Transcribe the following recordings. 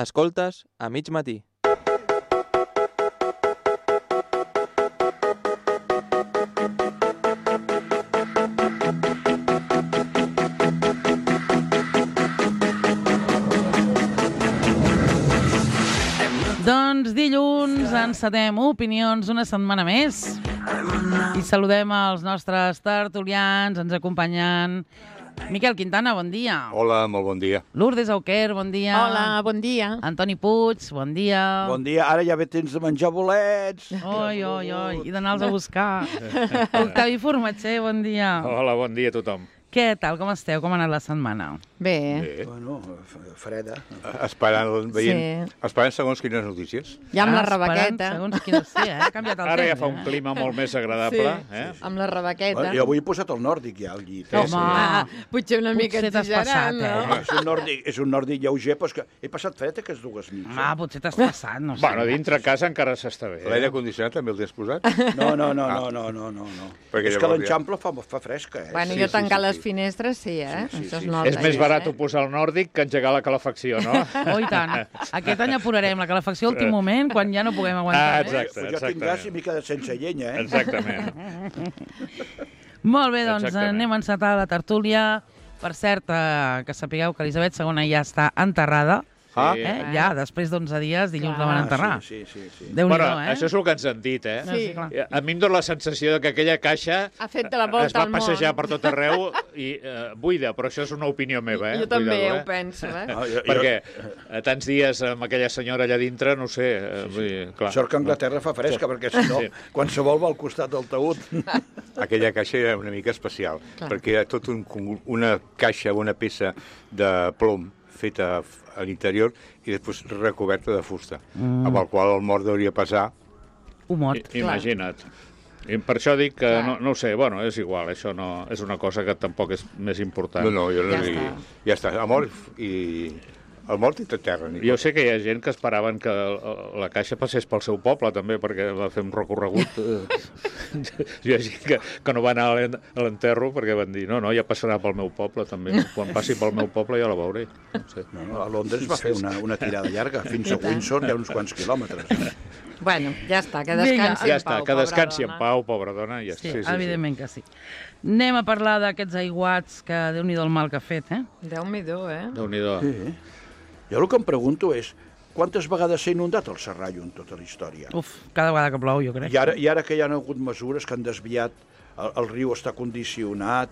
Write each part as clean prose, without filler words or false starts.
Escoltes a mig matí. Doncs dilluns encetem opinions una setmana més i saludem els nostres tertulians, ens acompanyen Miquel Quintana, bon dia. Hola, molt bon dia. Lourdes Auquer, bon dia. Hola, bon dia. Antoni Puig, bon dia. Bon dia, ara ja ve temps de menjar bolets. Oi, i d'anar-los a buscar. Octavi Formatger, bon dia. Hola, bon dia a tothom. Què tal, com esteu? Com ha anat la setmana? Bé. Bueno, freda. Esperant segons quines notícies. Ja amb la Esperant rebequeta. segons quines... Sí, ha canviat el temps. Ara ja fa un clima molt més agradable. Amb la rebequeta. Bueno, jo avui he posat el nòrdic ja al llit. Home, Potser una mica potser t'has exagerant, passat, no? És un nòrdic lleuger, però és que he passat fred aquestes dues nits. home, potser t'has passat, no sé. Bueno, dintre casa encara s'està bé. L'aire condicionat també el tens posat? No. Perquè És que llavors l'enxample fa fresca, eh? Bueno, Sí, jo tancar sí. les finestres, sí, eh? Sí. Això es nota. És més ja, barat posar el nòrdic que engegar la calefacció, no? Oh, i tant. Aquest any apurarem la calefacció a últim moment, quan ja no puguem aguantar. exacte. Jo tinc gas i m'he quedat sense llenya, eh? Exactament. Molt bé, doncs Exactament. anem a encetar la tertúlia. Per cert, que sapigueu que Elisabet II ja està enterrada. Sí. Ja, després d'11 dies, dilluns la van enterrar. Sí. Déu-n'hi-do, Bueno, eh? això és el que ens han dit, eh? Sí. clar. A mi em dona la sensació de que aquella caixa Ha fet de la volta es va al món. passejar per tot arreu i buida, però això és una opinió meva, eh? Jo també Cuidado, ho penso, eh? No, Perquè tants dies amb aquella senyora allà dintre, no ho sé, vull dir, clar. Sort que Anglaterra fa fresca, perquè si no, qualsevol va al costat del taüt. Aquella caixa era una mica especial, perquè era tot una caixa, una peça de plom feta a l'interior i després recoberta de fusta, amb el qual el mort hauria passar. Un mort. Imagina't. I per això dic que, no ho sé, bueno, és igual, això no és una cosa que tampoc és més important. No, jo no Ja diria. està. Ja està, el mort i tot terra. Jo sé que hi ha gent que esperaven que la caixa passés pel seu poble, també, perquè va fer un recorregut. Hi ha gent que no va anar a l'enterro perquè van dir, no, ja passarà pel meu poble, també. Quan passi pel meu poble ja la veuré. No sé. No, a Londres va fer una tirada llarga. Fins a Windsor hi ha uns quants quilòmetres. Bueno, ja està, que Vinga. descansi Ja en està, pau, que descansi pobra en pau, pobra dona, i ja Sí, està. evidentment que sí. Anem a parlar d'aquests aiguats que Déu-n'hi-do el mal que ha fet, eh? Déu-m'hi-do, eh? Déu-n'hi-do. Sí. Jo el que em pregunto és quantes vegades s'ha inundat el Serrallo en tota la història? Uf, cada vegada que plou, jo crec. I ara que hi ha hagut mesures que han desviat, el riu està condicionat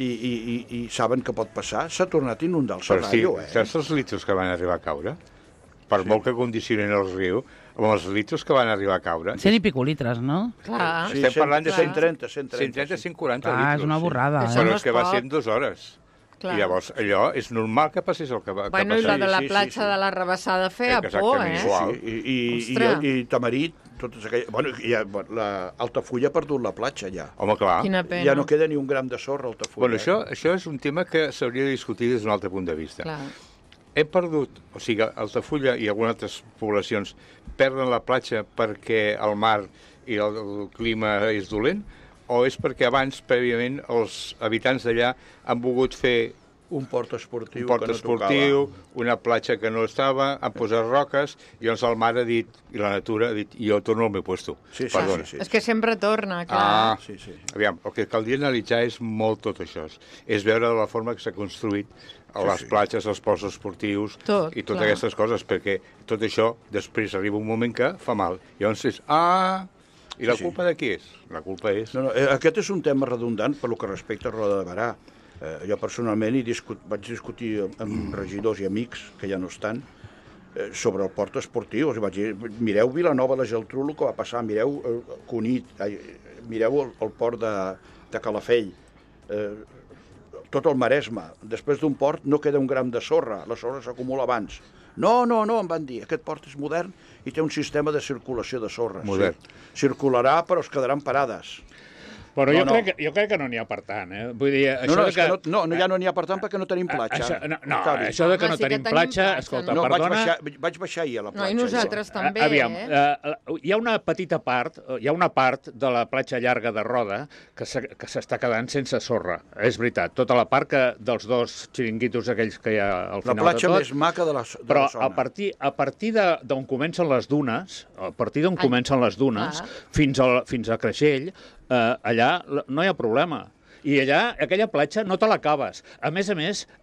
i saben que pot passar, s'ha tornat a inundar el Però sí, Serrallo, saps els litros que van arribar a caure? Per molt que condicionin el riu, amb els litros que van arribar a caure... 100 i pico litres, no? Clar. Sí, Estem parlant de 130, 130, 140 Ah, litros. és una borrada, Això Però no és que va es ser pot. en 2 hores. Clar. I llavors allò és normal que passés el que va Bueno, i passar. la de la Sí, platja de la Rebassada feia por, Exactament, eh? igual. Ostres. I Tamarit, totes aquelles... Bueno, l'Altafulla ha perdut la platja, ja. Home, clar. Quina pena. Ja no queda ni un gram de sorra a Altafulla. Bueno, això és un tema que s'hauria de discutir des d'un altre punt de vista. Clar. Hem perdut, o sigui, Altafulla i algunes altres poblacions perden la platja perquè el mar i el clima és dolent, o és perquè abans, prèviament, els habitants d'allà han volgut fer un port esportiu, un port que no esportiu, una platja que no estava, han posat roques, i llavors el mar ha dit, i la natura ha dit, jo torno al meu puesto. Sí, Perdona. sí. És que sempre torna, clar. Ah, Sí, sí. Aviam, el que caldria analitzar és molt tot això. És veure la forma que s'ha construït a les platges, els ports esportius Tot, i totes clar. aquestes coses, perquè tot això després arriba un moment que fa mal. Llavors és, i la culpa de qui és? La culpa és... No, aquest és un tema redundant per lo que respecta a Roda de Barà. Jo personalment vaig discutir amb regidors i amics, que ja no estan, sobre el port esportiu. Vaig dir, mireu Vilanova i la Geltrú, el que va passar, mireu Cunit, mireu el port de Calafell, tot el Maresme. Després d'un port no queda un gram de sorra, la sorra s'acumula abans. No, em van dir, aquest port és modern i té un sistema de circulació de sorra. Modern. Sí. Circularà, però es quedaran parades. Bueno, jo crec que no n'hi ha per tant, eh? Vull dir, ja no n'hi ha per tant perquè no tenim platja. Això de que no tenim platja, escolta, perdona... Vaig baixar ahir a la platja. No, i nosaltres també, Aviam, hi ha una petita part, hi ha una part de la platja llarga de Roda que s'està quedant sense sorra. És veritat, tota la part dels dos xiringuitos aquells que hi ha al final de tot. La platja més maca de la zona. Però a partir d'on comencen les dunes, fins a Creixell, allà no hi ha problema. I allà, aquella platja, no te l'acabes. A més,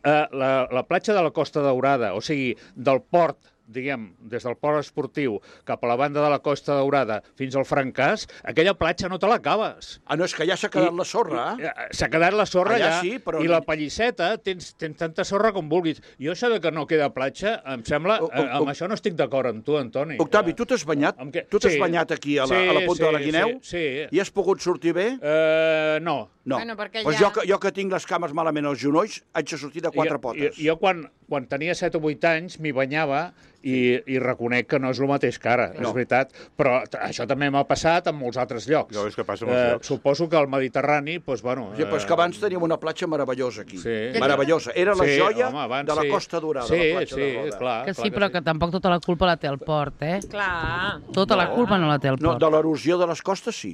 la platja de la Costa Daurada, o sigui, del port, diguem, des del port esportiu cap a la banda de la Costa Daurada fins al Francàs, aquella platja no te l'acabes. No, és que ja s'ha quedat la sorra. S'ha quedat la sorra allà, sí, però... i la Pallisseta tens tanta sorra com vulguis. Jo això de que no queda platja, em sembla... Amb això no estic d'acord amb tu, Antoni. Octavi, tu t'has banyat? Tu t'has banyat aquí a la Punta de la Guineu? Sí. I has pogut sortir bé? No. Bueno, pues jo que tinc les cames malament als genolls, haig de sortir de 4 potes. Jo quan tenia 7 o 8 anys m'hi banyava i reconec que no és el mateix que ara, és veritat, però això també m'ha passat en molts altres llocs. No, és que passa en molts llocs. Suposo que al Mediterrani, doncs, bueno... Sí, però és que abans teníem una platja meravellosa aquí. Meravellosa. Era la joia de la Costa Dorada, la platja de Roda. Clar. Que sí, però que tampoc tota la culpa la té el port, eh? Clar. Tota la culpa no la té el port. No, de l'erosió de les costes, sí.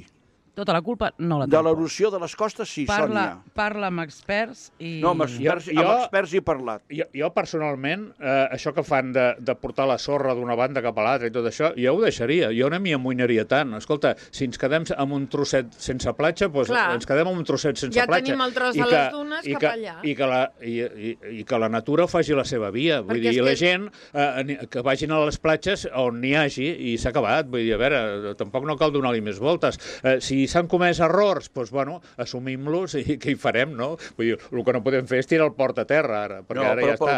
Tota la culpa no la té. De l'erosió de les costes, sí, Sònia. Parla amb experts i... No, amb experts he parlat. Jo personalment, això que fan de portar la sorra d'una banda cap a l'altra i tot això, jo ho deixaria. Jo no m'hi amoïnaria tant. Escolta, si ens quedem amb un trosset sense platja, doncs ens quedem amb un trosset sense platja. Ja tenim el tros de les dunes cap allà. I que la natura faci la seva via. Vull dir, la gent que vagin a les platges on n'hi hagi i s'ha acabat. Vull dir, a veure, tampoc no cal donar-li més voltes. Si s'han comès errors, doncs, bueno, assumim-los i què hi farem, no? Vull dir, el que no podem fer és tirar el port a terra, ara, perquè ara ja està.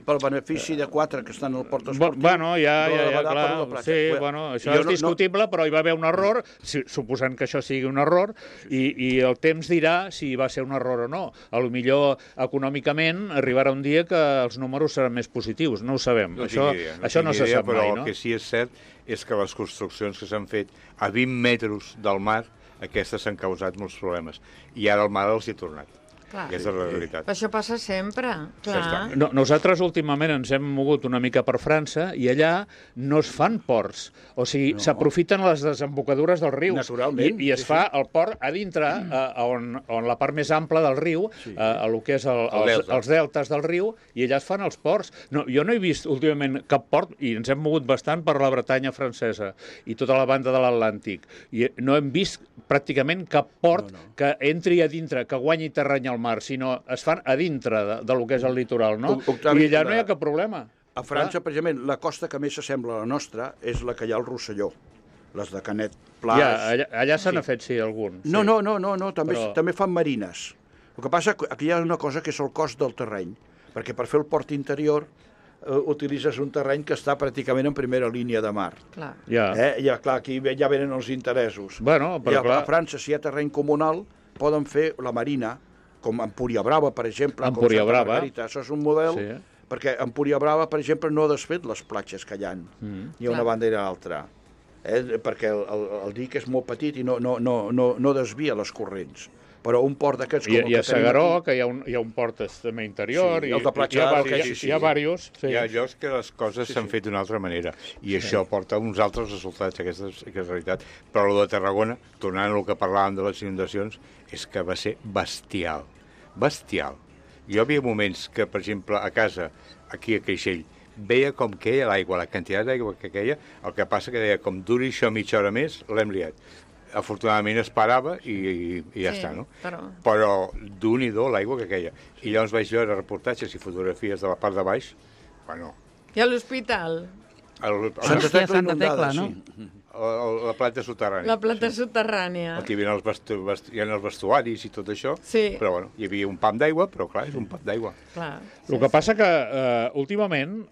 Pel benefici de 4 que estan al port esportiu... Bueno, clar, sí, bueno, això és discutible, però hi va haver un error, suposant que això sigui un error, i el temps dirà si va ser un error o no. A lo millor, econòmicament, arribarà un dia que els números seran més positius, no ho sabem. Això no se sap mai, no? Però el que sí és cert és que les construccions que s'han fet a 20 metres del mar, aquestes s'han causat molts problemes. I ara el mar els hi ha tornat. Clar. Aquesta és la realitat. Això passa sempre, clar. No, nosaltres últimament ens hem mogut una mica per França i allà no es fan ports. O sigui, s'aprofiten les desembocadures del riu. Naturalment. I es fa el port a dintre, on la part més ampla del riu, el que és els deltes del riu, i allà es fan els ports. No, jo no he vist últimament cap port, i ens hem mogut bastant per la Bretanya francesa i tota la banda de l'Atlàntic, i no hem vist pràcticament cap port que entri a dintre, que guanyi terreny al mar, sinó es fan a dintre del que és el litoral, no? I allà no hi ha cap problema. A França, precisament, la costa que més s'assembla a la nostra és la que hi ha al Rosselló, les de Canet Plage. Allà se n'ha fet, sí, algun. No, també fan marines. El que passa és que aquí hi ha una cosa que és el cost del terreny, perquè per fer el port interior utilitzes un terreny que està pràcticament en primera línia de mar. Clar. Clar, aquí ja venen els interessos. Bueno, però clar... A França, si hi ha terreny comunal, poden fer la marina, com Empúria Brava, per exemple, Empúria Brava. Això és un model, perquè Empúria Brava, per exemple, no ha desfet les platges que hi ha, ni una banda ni l'altra, perquè el dic és molt petit i no desvia les corrents. Però un port d'aquests com el que tenim aquí... I a Segaró, que hi ha un port també interior, el de platja, hi ha diversos. Hi ha llocs que les coses s'han fet d'una altra manera, i això porta uns altres resultats, aquesta és la realitat. Però el de Tarragona, tornant al que parlàvem de les inundacions, és que va ser bestial. Bestial. Jo havia moments que, per exemple, a casa, aquí a Creixell, veia com queia l'aigua, la quantitat d'aigua que queia, el que passa que deia, com duri això mitja hora més, l'hem liat. Afortunadament es parava i ja està, no? Però d'un-i-do l'aigua que queia. I llavors vaig veure reportatges i fotografies de la part de baix, bueno... I a l'hospital? Santa Tecla, no? La planta soterrània. La planta soterrània. Aquí hi ha els vestuaris i tot això, però bueno, hi havia un pam d'aigua, però clar, és un pam d'aigua. El que passa que últimament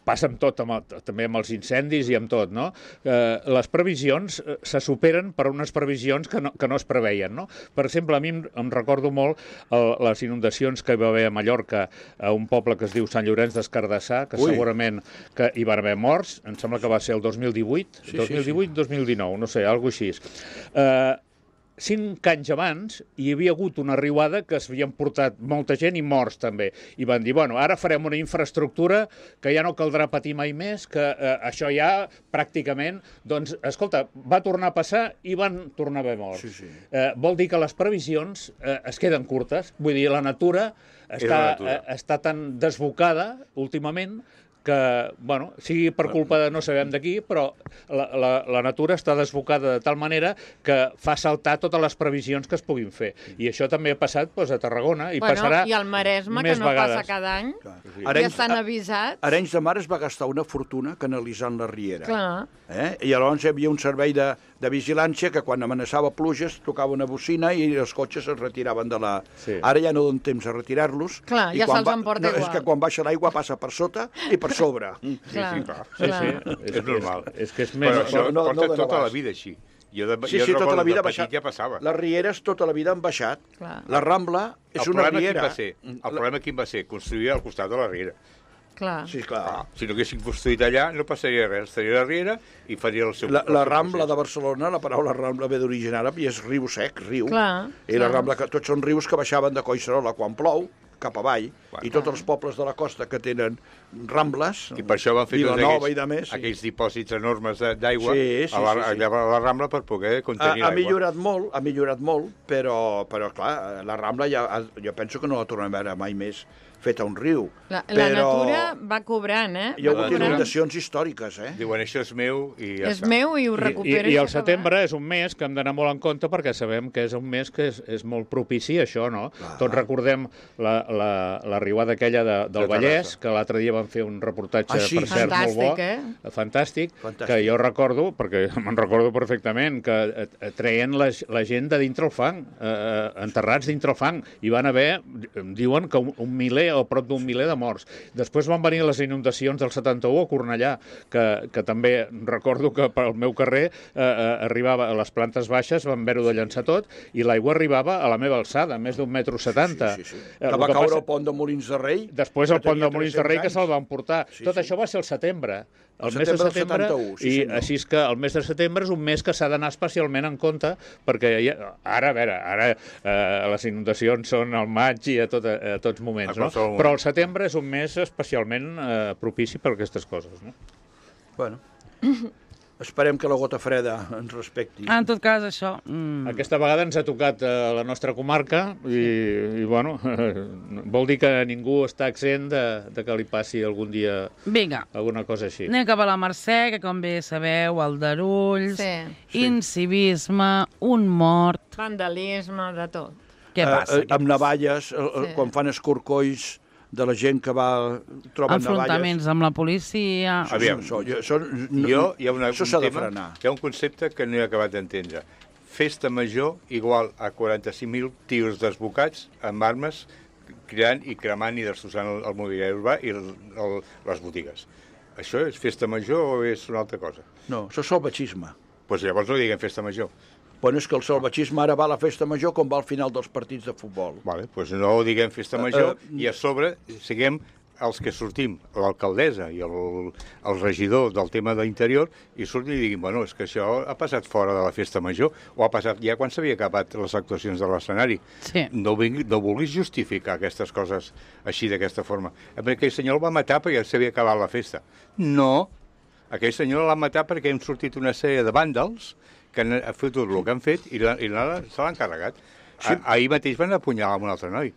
passa amb tot, també amb els incendis i amb tot, no? Les previsions se superen per unes previsions que no es preveien, no? Per exemple, a mi em recordo molt les inundacions que hi va haver a Mallorca, a un poble que es diu Sant Llorenç d'Escardassar, que segurament que hi van haver morts, em sembla que va ser el 2018, 2018-2019, no sé, alguna cosa així. 5 anys abans hi havia hagut una riuada que s'havien portat molta gent i morts també. I van dir, bueno, ara farem una infraestructura que ja no caldrà patir mai més, que això ja pràcticament... Doncs, escolta, va tornar a passar i van tornar a haver morts. Sí, sí. Vol dir que les previsions es queden curtes. Vull dir, la natura està tan desbocada últimament que, bueno, sigui per culpa de no sabem de qui, però la natura està desbocada de tal manera que fa saltar totes les previsions que es puguin fer. I això també ha passat a Tarragona i passarà i al Maresme, que no passa cada any, ja estan avisats. Arenys de Mar es va gastar una fortuna canalitzant la riera. Clar. I llavors hi havia un servei de vigilància que quan amenaçava pluges tocava una bocina i els cotxes es retiraven de la... Sí. Ara ja no donen temps a retirar-los. Clar, ja se'ls emporta igual. És que quan baixa l'aigua passa per sota i per sobre. Clar. És normal. És que és més... Però això porta tota la vida així. Jo tota la vida de petit ja passava. Les rieres tota la vida han baixat. Clar. La Rambla és una riera. El problema quin va ser? Construir al costat de la riera. Clar. Sí, clar. Si no haguessin construït allà, no passaria res. Estaria a la riera i faria el seu... La Rambla de Barcelona, la paraula Rambla ve d'origen àrab i és riu sec, riu. Clar. I la Rambla, tots són rius que baixaven de Collserola quan plou, cap avall, i tots els pobles de la costa que tenen rambles, i per això van fer Vilanova i de més, aquells dipòsits enormes d'aigua a la Rambla per poder contenir l'aigua. Ha millorat molt, però clar, la Rambla jo penso que no la tornem a veure mai més feta un riu. La natura va cobrant, Hi ha hagut inundacions històriques, Diuen, això és meu i ja està. És meu i ho recupero. I el setembre és un mes que hem d'anar molt en compte perquè sabem que és un mes que és molt propici a això, no? Tots recordem la riuada aquella del Vallès, que l'altre dia van fer un reportatge, per cert, molt bo. Fantàstic, que jo recordo, perquè me'n recordo perfectament, que treien la gent de dintre el fang, enterrats dintre el fang, i van haver, diuen que un miler o prop d'un miler de morts. Després van venir les inundacions del 71 a Cornellà, que també recordo que pel meu carrer arribava a les plantes baixes, van haver-ho de llançar tot, i l'aigua arribava a la meva alçada, més d'1,70 m. Que va caure el pont de Molins de Rei. Després el pont de Molins de Rei, que se'l van portar. Tot això va ser al setembre. El mes de setembre, i així és que el mes de setembre és un mes que s'ha d'anar especialment en compte, perquè ara les inundacions són al maig i a tots moments, no? Però el setembre és un mes especialment propici per a aquestes coses, no? Bueno, esperem que la gota freda ens respecti. En tot cas, això... Aquesta vegada ens ha tocat a la nostra comarca i bueno, vol dir que ningú està exempt de que li passi algun dia alguna cosa així. Anem cap a la Mercè, que com bé sabeu, aldarulls, incivisme, un mort... Vandalisme, de tot. Què passa? Amb navalles, quan fan escorcolls de la gent que troba navalles... Enfrontaments amb la policia... Aviam, això s'ha de frenar. Hi ha un concepte que no he acabat d'entendre. Festa major igual a 45.000 tios desbocats amb armes cridant i cremant i destrossant el mobiliari urbà i les botigues. Això és festa major o és una altra cosa? No, això és salvatgisme. Doncs llavors no diguem festa major. Bueno, és que el salvatgisme ara va a la festa major com va al final dels partits de futbol. Vale, doncs no diguem festa major i a sobre siguem els que sortim, l'alcaldessa i el regidor del tema d'interior, i surtin i diguin, bueno, és que això ha passat fora de la festa major, o ha passat ja quan s'havia acabat les actuacions de l'escenari. Sí. No vulguis justificar aquestes coses així, d'aquesta forma. Aquell senyor el va matar perquè s'havia acabat la festa. No, aquell senyor l'ha matat perquè hem sortit una sèrie de vàndals que han fet tot el que han fet i se l'han carregat. Sí. Ahir mateix van apunyalar un altre noi.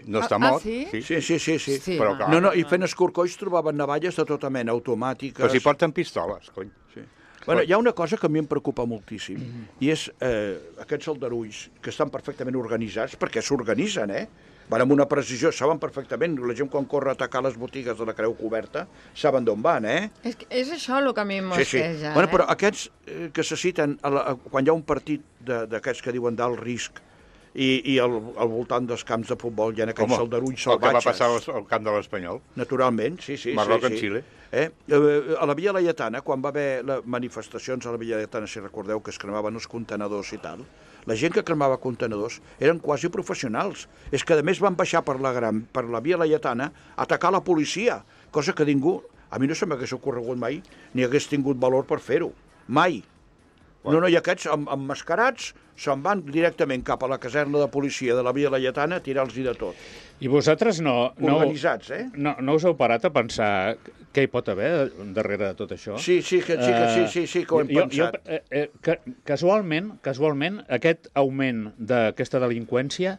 No està mort. Sí? Sí. Però, clar, no, i fent escorcolls trobaven navalles de tota mena, automàtiques... Però si porten pistoles, cony. Sí. Bueno, hi ha una cosa que a mi em preocupa moltíssim, i és aquests aldarulls que estan perfectament organitzats, perquè s'organitzen, van amb una precisió, saben perfectament, la gent quan corre a atacar les botigues de la Creu Coberta, saben d'on van, És això el que a mi em mosqueja, Bueno, però aquests que se citen, quan hi ha un partit d'aquests que diuen d'alt risc, i al voltant dels camps de futbol hi ha aquells aldarulls salvatges. El que va passar al camp de l'Espanyol. Naturalment, sí. Marroc en Xile. A la Via Laietana, quan va haver les manifestacions a la Via Laietana, si recordeu que es cremaven els contenedors i tal, la gent que cremava contenedors eren quasi professionals. És que, a més, van baixar per la Via Laietana a atacar la policia, cosa que ningú, a mi no se m'hagués ocorregut mai, ni hagués tingut valor per fer-ho. Mai. No, i aquests emmascarats se'n van directament cap a la caserna de policia de la Via Laietana a tirar-los-hi de tot. I vosaltres Organitzats, no us heu parat a pensar què hi pot haver darrere de tot això? Sí, que ho hem pensat. Casualment, aquest augment d'aquesta delinqüència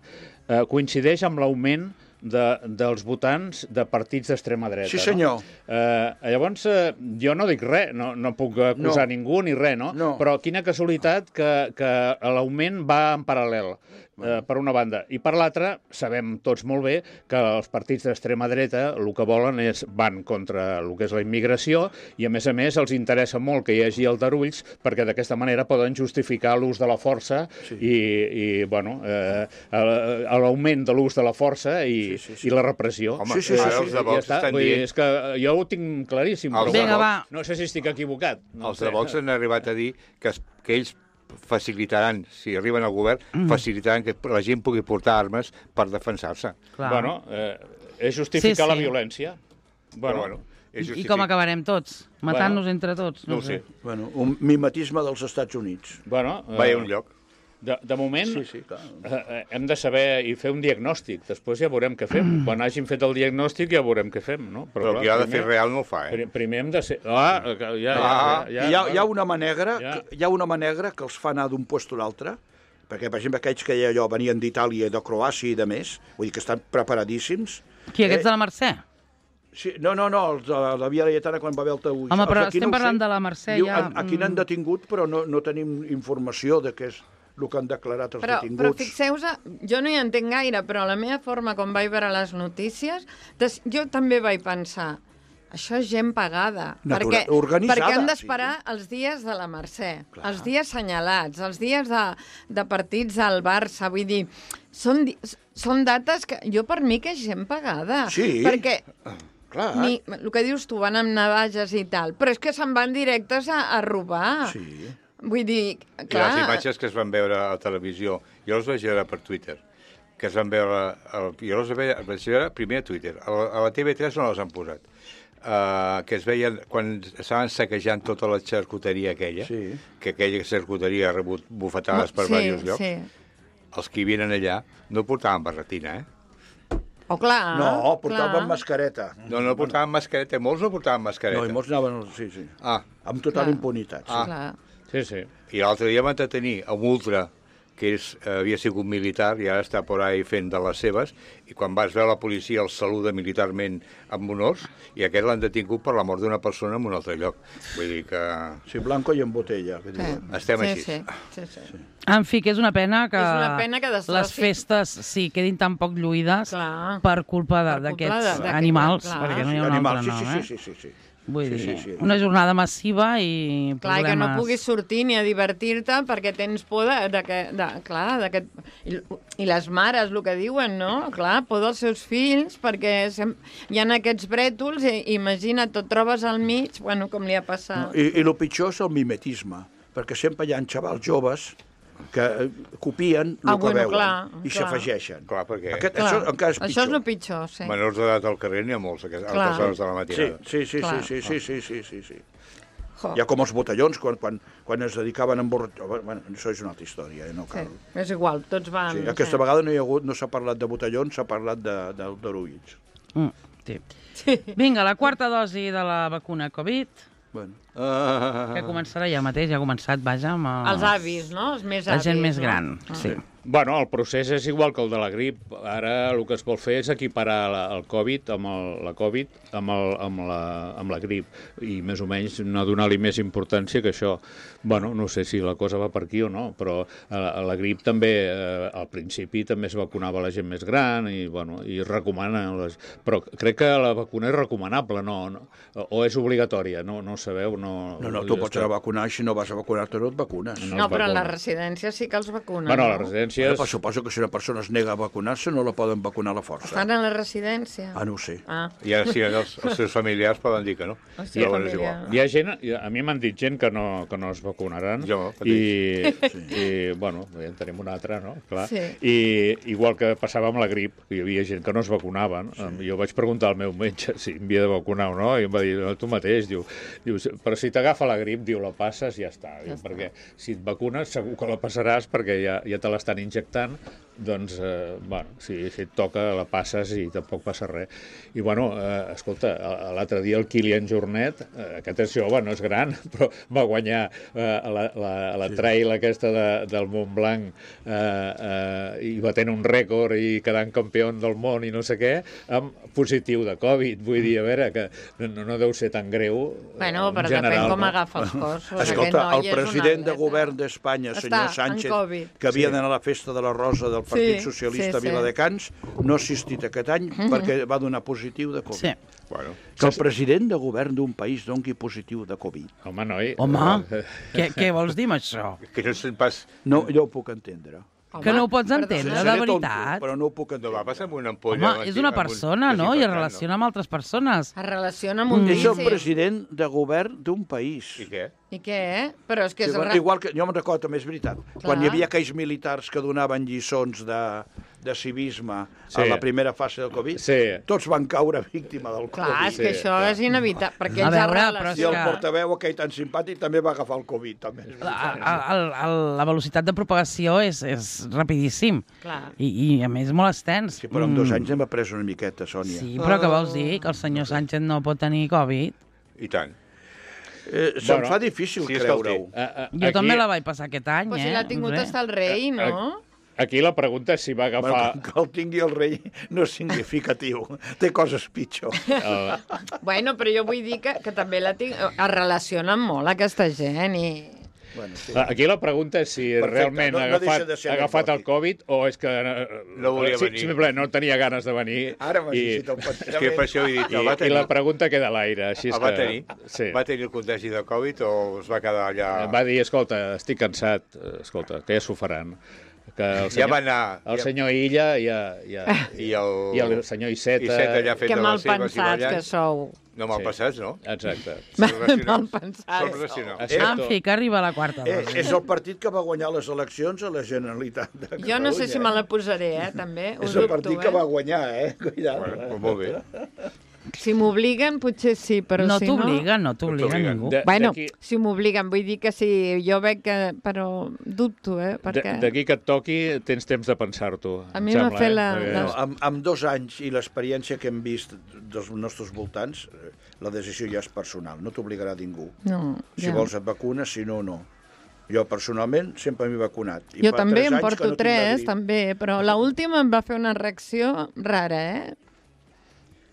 coincideix amb l'augment dels votants de partits d'extrema dreta. Sí, senyor. Llavors, jo no dic res, no puc acusar ningú ni res, no? Però quina casualitat que l'augment va en paral·lel, per una banda. I per l'altra, sabem tots molt bé que els partits d'extrema dreta el que volen van contra el que és la immigració i, a més, els interessa molt que hi hagi aldarulls perquè d'aquesta manera poden justificar l'ús de la força i l'augment de l'ús de la força i la repressió. Home, els de Vox estan dient... És que jo ho tinc claríssim. Vinga, va. No sé si estic equivocat. Els de Vox han arribat a dir que ells facilitaran, si arriben al govern, facilitaran que la gent pugui portar armes per defensar-se. Bueno, és justificar la violència. Bueno, i com acabarem tots? Matant-nos entre tots? No ho sé. Bueno, un mimetisme dels Estats Units. Bueno, va a un lloc. De moment, hem de saber i fer un diagnòstic. Després ja veurem què fem. Quan hàgim fet el diagnòstic ja veurem què fem, no? Però el que ha de fer real no ho fa, Primer hem de ser... Hi ha una mà negra que els fa anar d'un lloc a l'altre, perquè, per exemple, aquells que allò venien d'Itàlia, de Croàcia i de més, vull dir que estan preparadíssims. Qui, aquests de la Mercè? Sí, no, els de la Via Laietana quan va haver el taüix. Home, però estem parlant de la Mercè ja... Aquí n'han detingut, però no tenim informació de què és el que han declarat els detinguts. Però fixeu-vos, jo no hi entenc gaire, però la meva forma, com vaig veure les notícies, jo també vaig pensar, això és gent pagada, perquè han d'esperar els dies de la Mercè, els dies senyalats, els dies de partits al Barça, vull dir, són dates que jo per mi que és gent pagada. Sí, perquè clar. El que dius tu, van amb navages i tal, però és que se'n van directes a robar. Sí. Vull dir, clar... I les imatges que es van veure a la televisió, jo les vaig veure per Twitter, que es van veure... Jo les vaig veure primer a Twitter, a la TV3 no les han posat, que es veien quan estaven saquejant tota la xarcuteria aquella, que aquella xarcuteria ha rebut bufetades per diversos llocs. Els que hi vinen allà no portaven barretina, Oh, clar. No, portaven mascareta. No portaven mascareta, molts no portaven mascareta. No, i molts anaven... Sí. Amb total impunitat. Clar. Sí. I l'altre dia van detenir a un ultra que havia sigut militar i ara està por ahí fent de les seves, i quan vas veure la policia el saluda militarment amb honors, i aquest l'han detingut per la mort d'una persona en un altre lloc. Vull dir que... Sí, blanco i en botella. Estem així. Sí. En fi, que és una pena que les festes quedin tan poc lluïdes per culpa d'aquests animals, perquè no hi ha un altre nom, Sí. Vull dir, una jornada massiva i problemes... Clar, que no puguis sortir ni a divertir-te perquè tens por d'aquest... I les mares, el que diuen, no? Clar, por dels seus fills, perquè hi ha aquests brètols i imagina't, et trobes al mig, bueno, com li ha passat. I el pitjor és el mimetisme, perquè sempre hi ha xavals joves que copien el que veuen i s'afegeixen. Clar, perquè... Això encara és pitjor. Això és el pitjor, sí. Menors d'edat al carrer n'hi ha molts, a altes hores de la matinada. Sí. Ja com els botellons, quan es dedicaven a emborratxar... Bueno, això és una altra història, no cal... Sí, és igual, tots van... Sí, aquesta vegada no s'ha parlat de botellons, s'ha parlat d'aldarulls. Vinga, la quarta dosi de la vacuna Covid... Bueno. Que començarà ja mateix, ja ha començat, vaja, amb els avis, no? Els més avis. La gent més gran, sí. Bueno, el procés és igual que el de la grip. Ara el que es vol fer és equiparar el Covid la Covid amb la grip i més o menys no donar-li més importància que això. Bueno, no sé si la cosa va per aquí o no, però a la grip també, al principi també es vacunava la gent més gran i es recomana. Però crec que la vacuna és recomanable, no? O és obligatòria, no sabeu? No, tu pots anar a vacunar, si no vas a vacunar-te no et vacunes. No, però a les residències sí que els vacunen. Bueno, a les residències conseqüències... Però suposo que si una persona es nega a vacunar-se no la poden vacunar a la força. Estan a la residència? No ho sé. I ara sí, els seus familiars poden dir que no. Sí, Però és igual. Hi ha gent, a mi m'han dit gent que no es vacunaran. Jo, I bueno, ja en tenim una altra, no? Clar. Sí. I igual que passava amb la grip, hi havia gent que no es vacunaven. Jo vaig preguntar al meu metge si em havia de vacunar o no, i em va dir, no, tu mateix, diu, però si t'agafa la grip, diu, la passes i ja està. Perquè si et vacunes segur que la passaràs perquè ja te l'estan injectant, doncs, bueno, si et toca la passes i tampoc passa res. I, bueno, escolta, l'altre dia el Kilian Jornet, aquest és jove, no és gran, però va guanyar la trail aquesta del Montblanc i va tenir un rècord i quedant campió del món i no sé què, amb positiu de Covid. Vull dir, a veure, que no deu ser tan greu Bueno, però depèn com agafa els cossos. Escolta, el president de govern d'Espanya, senyor Sánchez, que havia d'anar a la festa de la Rosa del Partit Socialista a Viladecans, no ha assistit aquest any perquè va donar positiu de Covid. Sí. Bueno. Que el president de govern d'un país doni positiu de Covid. Home, noi... Home, què vols dir amb això? Que no sent pas... No, jo ho puc entendre. Que no ho pots entendre, de veritat. Però no ho puc No entendre. va passar amb una ampolla... Home, és una persona, no? I es relaciona amb altres persones. Es relaciona amb un És el vici. president de govern d'un país. I què? I què? Però és que és... Igual que, jo me'n recordo, també és veritat, quan hi havia aquells militars que donaven lliçons de civisme a la primera fase del Covid, tots van caure víctima del Covid. Clar, és que això és inevitable, perquè ells I el portaveu aquell tan simpàtic també va agafar el Covid. També. La velocitat de propagació és rapidíssim. I a més molt extens. Sí, però en 2 anys hem après una miqueta, Sònia. Sí, però què vols dir? Que el senyor Sánchez no pot tenir Covid? I tant. Se'm fa difícil creure-ho. Jo també la vaig passar aquest any, Però si l'ha tingut hasta el rei, no? Aquí la pregunta és si va agafar... Bueno, que el tingui el rei no és significatiu. Té coses pitjor. Bueno, però jo vull dir que també es relacionen molt aquesta gent i... Bueno, sí. Aquí la pregunta és si realment ha agafat el Covid o és que no volia venir. Simplement no tenia ganes de venir. Ara m'has llegit el pensament. És que per això he dit, I la pregunta queda a l'aire. Va tenir? Va tenir el contagi de Covid o es va quedar allà... Va dir, escolta, estic cansat, escolta, que ja s'ho faran. Que el senyor, ja va anar... El senyor Illa i el senyor Iceta... Que mal pensats que sou. No, mal passats, no? Exacte. Mal pensats. En fi, que arriba la quarta dosi. És el partit que va guanyar les eleccions a la Generalitat de Catalunya. Jo no sé si me la posaré, també. És el partit que va guanyar, Cuidado. Bueno, molt bé. Si m'obliguen, potser sí, però no si no... No t'obliguen ningú. Bueno, si m'obliguen, vull dir que sí, jo veig que... Però dubto, perquè... D'aquí que et toqui, tens temps de pensar-t'ho. A mi m'ha fet la... Amb 2 anys i l'experiència que hem vist dels nostres voltants, la decisió ja és personal, no t'obligarà ningú. No, si vols et vacunes, si no, no. Jo, personalment, sempre m'he vacunat. Jo també em porto 3, també, però l'última em va fer una reacció rara,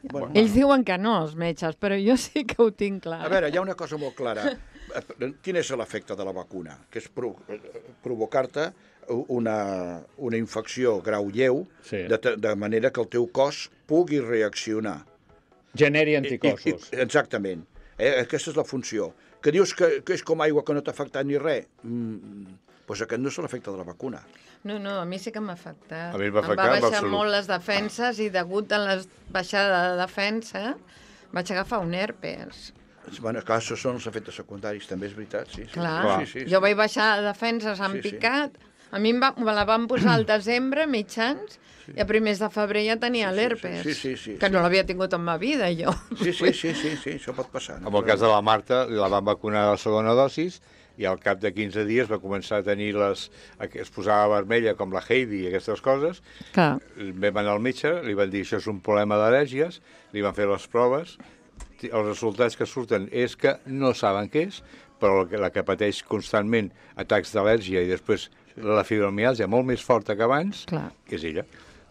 Bueno. Ells diuen que no, els metges, però jo sí que ho tinc clar. A veure, hi ha una cosa molt clara. Quin és l'efecte de la vacuna? Que és provocar-te una infecció grau lleu, de manera que el teu cos pugui reaccionar. Generi anticossos. Exactament. Aquesta és la funció. Que dius que és com aigua que no t'ha afectat ni res. Doncs aquest no és l'efecte de la vacuna. No, a mi sí que m'ha afectat. A mi em va baixar molt les defenses i degut a la baixada de defensa vaig agafar un herpes. Bueno, clar, això són els efectes secundaris, també és veritat, sí. Clar, jo vaig baixar defenses, han picat. A mi me la van posar al desembre, mitjans, i a primers de febrer ja tenia l'herpes. Que no l'havia tingut en ma vida, jo. Sí, això pot passar. En el cas de la Marta, la van vacunar a la segona dosis, i al cap de 15 dies va començar a tenir es posava vermella com la Heidi i aquestes coses. Vam anar al metge, li van dir això és un problema d'al·lèrgies, li van fer les proves, els resultats que surten és que no saben què és, però la que pateix constantment atacs d'al·lèrgia i després la fibromiàlgia molt més forta que abans, és ella.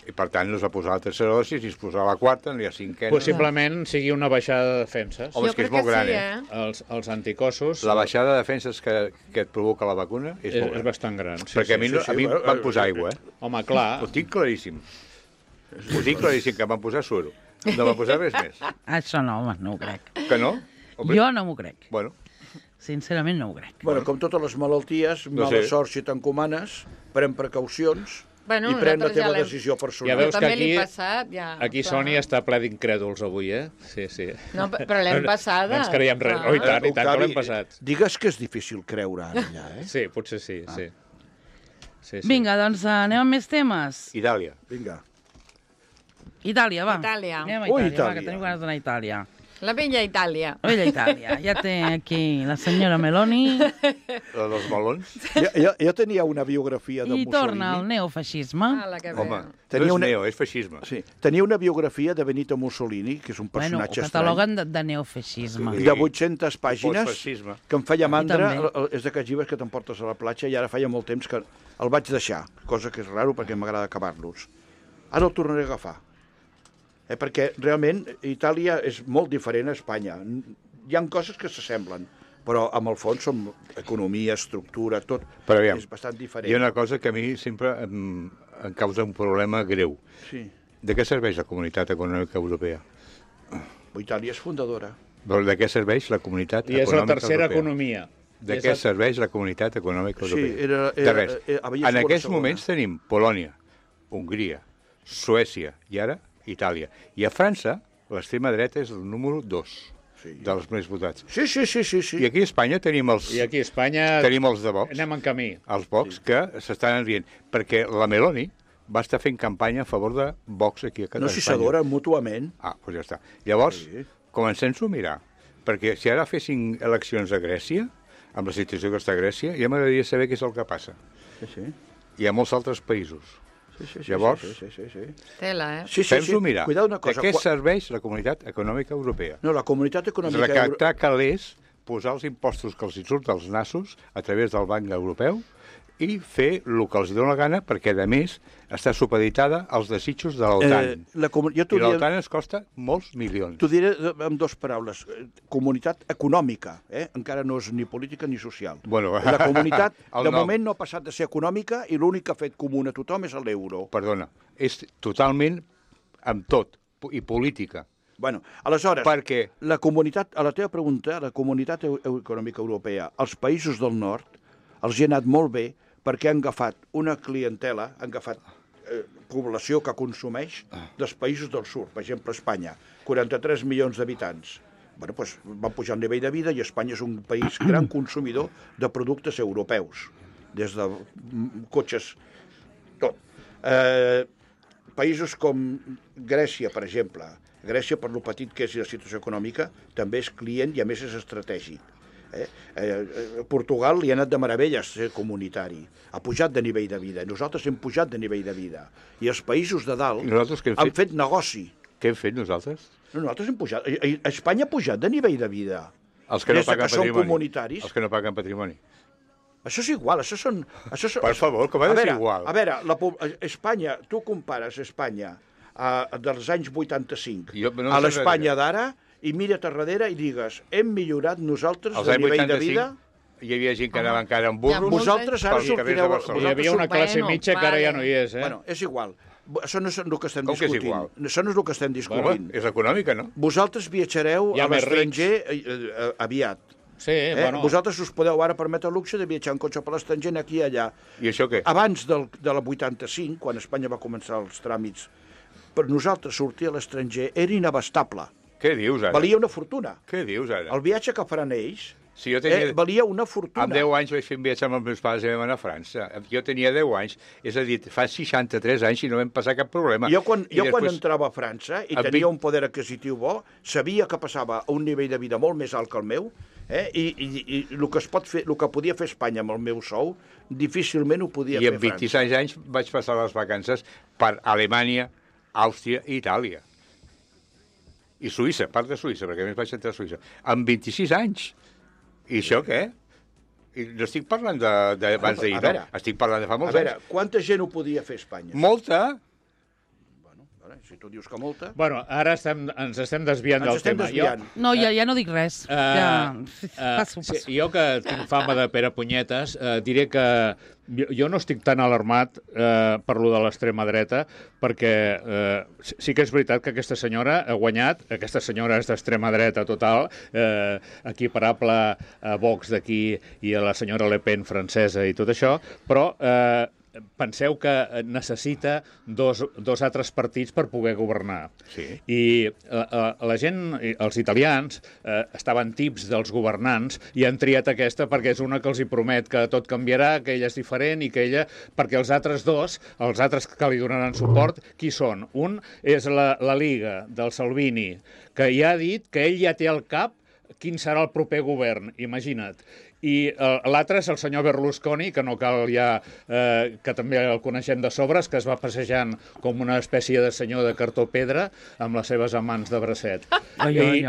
I per tant no es va posar la tercera dosi, si es posava la quarta, ni la cinquena. Possiblement sigui una baixada de defenses. Home, és que és molt gran, Els anticossos... La baixada de defenses que et provoca la vacuna és molt gran. És bastant gran. Perquè a mi em van posar aigua, Home, clar. Ho tinc claríssim. Que em van posar suero. No va posar res més. Això no, home, no ho crec. Que no? Jo no m'ho crec. Bueno. Sincerament no ho crec. Bueno, com totes les malalties, mala sort si t'encomanes, pren precaucions i pren la teva decisió personal. Ja veus que aquí Sònia està ple d'incrèduls avui, eh? Sí. No, però l'hem passada. No ens creiem res. Oh, i tant que l'hem passat. Digues que és difícil creure ara, allà, eh? Sí, potser sí. Vinga, doncs anem amb més temes. Itàlia. Vinga. Itàlia, va. Itàlia. Anem a Itàlia, va, que tenim ganes d'anar a Itàlia. La vella Itàlia. La vella Itàlia. Ja té aquí la senyora Meloni. La dels melons. Jo tenia una biografia de Mussolini. I torna al neofeixisme. Home, no és neo, és feixisme. Sí, tenia una biografia de Benito Mussolini, que és un personatge ho cataloguen de neofeixisme. De 800 pàgines, que em feia mandra. És d'aquests llibres que t'emportes a la platja, i ara feia molt temps que el vaig deixar, cosa que és raro perquè m'agrada acabar-los. Ara el tornaré a agafar. Perquè realment Itàlia és molt diferent a Espanya. Hi ha coses que s'assemblen, però amb el fons som economia, estructura, tot és bastant diferent. Hi ha una cosa que a mi sempre em causa un problema greu. Sí. De què serveix la Comunitat Econòmica Europea? Itàlia és fundadora. Però de què serveix la Comunitat Econòmica Europea? I és la tercera economia. De què serveix la Comunitat Econòmica Europea? De res. En aquests moments tenim Polònia, Hongria, Suècia i ara Itàlia. I a França, l'extrema dreta és el número 2 dels més votats. Sí. I aquí a Espanya tenim els... I aquí a Espanya tenim els de Vox. Anem en camí. Els Vox que s'estan enrient. Perquè la Meloni va estar fent campanya a favor de Vox aquí a Catalunya. No, si s'adoren mútuament. Doncs ja està. Llavors, comencem-ho a mirar. Perquè si ara fessin eleccions a Grècia, amb la situació que està a Grècia, ja m'agradaria saber què és el que passa. Sí. I a molts altres països. Llavors, tela, fem-ho mirar. De què serveix la Comunitat Econòmica Europea? No, la Comunitat Econòmica Europea... Recaptar calés, posar els impostos que els hi surt dels nassos a través del Banc Europeu i fer el que els dona la gana, perquè, a més, està supeditada als desitjos de l'OTAN. I l'OTAN ens costa molts milions. T'ho diré amb dues paraules. Comunitat econòmica, encara no és ni política ni social. La comunitat, de moment, no ha passat de ser econòmica i l'únic que ha fet comuna a tothom és l'euro. Perdona, és totalment amb tot, i política. Aleshores, la comunitat, a la teva pregunta, la Comunitat Econòmica Europea, els països del nord, els hi ha anat molt bé perquè han agafat una clientela, han agafat població que consumeix dels països del sud, per exemple, Espanya, 43 milions d'habitants. Van pujar el nivell de vida i Espanya és un país gran consumidor de productes europeus, des de cotxes, tot. Països com Grècia, per exemple. Grècia, per lo petit que és la situació econòmica, també és client i, a més, és estratègic. Portugal li ha anat de meravelles ser comunitari, ha pujat de nivell de vida, nosaltres hem pujat de nivell de vida, i els països de dalt han fet negoci. Què hem fet nosaltres? Nosaltres hem pujat, Espanya ha pujat de nivell de vida. Els que no paguen patrimoni. Comunitaris. Els que no paguen patrimoni. Això és igual, això són... Per favor, com ha de ser igual? A veure, Espanya, tu compares Espanya dels anys 85 a l'Espanya d'ara, i mira't a darrere i digues, hem millorat nosaltres de nivell de vida? Hi havia gent que anava encara amb burros. Vosaltres ara sortireu... Hi havia una classe mitja que ara ja no hi és, és igual. Això no és el que estem discutint. Això no és el que estem discutint. És econòmica, no? Vosaltres viatjareu a l'estranger aviat. Sí, vosaltres us podeu ara permetre el luxe de viatjar en cotxe per l'estranger aquí i allà. I això què? Abans de la 85, quan Espanya va començar els tràmits, per nosaltres sortir a l'estranger era inabastable. Què dius ara? Valia una fortuna. Què dius ara? El viatge que faran ells valia una fortuna. Amb 10 anys vaig fer un viatge amb els meus pares i vam anar a França. Jo tenia 10 anys, és a dir, fa 63 anys i no vam passar cap problema. Jo quan entrava a França i tenia un poder adquisitiu bo, sabia que passava a un nivell de vida molt més alt que el meu, i el que podia fer Espanya amb el meu sou, difícilment ho podia fer França. I amb 26 anys vaig passar les vacances per Alemanya, Àustria i Itàlia. I Suïssa, part de Suïssa, perquè a més vaig entrar a Suïssa. Amb 26 anys. I això què? I no estic parlant d'abans d'ahir, no? Estic parlant de fa molts anys. A veure, quanta gent ho podia fer Espanya? Molta. Si tu dius que molta... Bueno, ara ens estem desviant del tema. No, ja no dic res. Jo, que tinc fama de Pere Punyetes, diré que jo no estic tan alarmat per lo de l'extrema dreta, perquè sí que és veritat que aquesta senyora ha guanyat, aquesta senyora és d'extrema dreta total, equiparable a Vox d'aquí i a la senyora Le Pen francesa i tot això, però penseu que necessita dos altres partits per poder governar. Sí. I la gent, els italians, estaven tips dels governants i han triat aquesta perquè és una que els hi promet que tot canviarà, que ella és diferent i que ella... Perquè els altres dos, els altres que li donaran suport, qui són? Un és la Liga del Salvini, que ja ha dit que ell ja té al cap quin serà el proper govern, imagina't. I l'altre és el senyor Berlusconi, que no cal ja, que també el coneixem de sobres, que es va passejant com una espècie de senyor de cartó pedra amb les seves amants de bracet. I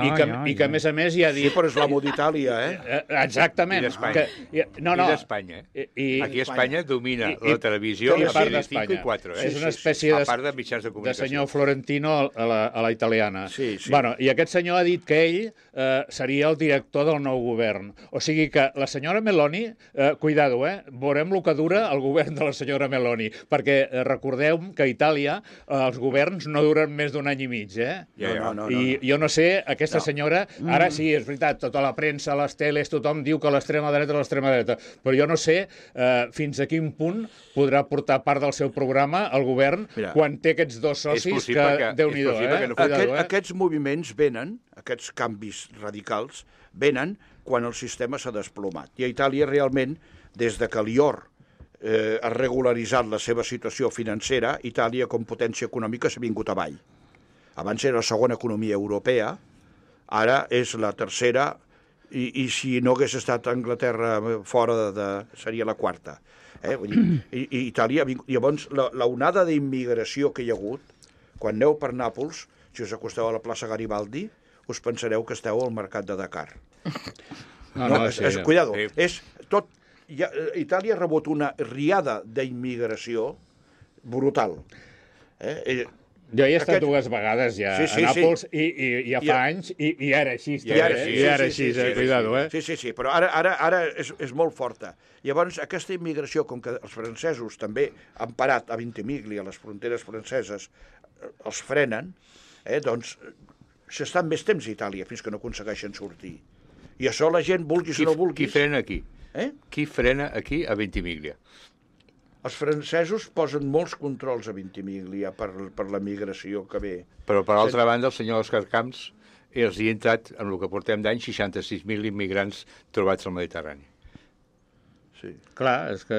que, a més, ja ha dit... Sí, però és l'amo d'Itàlia, Exactament. I d'Espanya. No. I d'Espanya. Aquí a Espanya domina la televisió i part de d'Espanya. 5 i 4. És una espècie a part de mitjans de comunicació. De senyor Florentino a la italiana. Sí. Bueno, i aquest senyor ha dit que ell seria el director del nou govern. O sigui que la senyora Meloni, cuidado, veurem el que dura el govern de la senyora Meloni, perquè recordeu que a Itàlia els governs no duren més d'un any i mig, No. I jo no sé, aquesta senyora, ara sí, és veritat, tota la premsa, les teles, tothom diu que l'extrema dreta, però jo no sé fins a quin punt podrà portar part del seu programa al govern quan té aquests dos socis que Déu-n'hi-do, Aquests moviments venen, aquests canvis radicals, venen quan el sistema s'ha desplomat. I a Itàlia, realment, des de que l'IOR ha regularitzat la seva situació financera, Itàlia, com potència econòmica, s'ha vingut avall. Abans era la segona economia europea, ara és la tercera, i si no hagués estat Anglaterra fora seria la quarta. I Itàlia, llavors, l'onada d'immigració que hi ha hagut, quan aneu per Nàpols, si us acosteu a la plaça Garibaldi, us pensareu que esteu al mercat de Dakar. Cuidado, és tot... Itàlia ha rebut una riada d'immigració brutal. Jo hi he estat dues vegades ja a Nàpols i ja fa anys i ara així. I ara així, cuidado, Sí, però ara és molt forta. Llavors, aquesta immigració, com que els francesos també han parat a Ventimiglia, a les fronteres franceses, els frenen, doncs s'estan més temps a Itàlia fins que no aconsegueixen sortir. I això la gent, vulguis o no vulguis... Qui frena aquí? Qui frena aquí a Ventimiglia? Els francesos posen molts controls a Ventimiglia per la migració que ve. Però, per altra banda, el senyor Òscar Camps els hi ha entrat, en el que portem d'any, 66.000 immigrants trobats al Mediterrani. Sí. Clar, és que...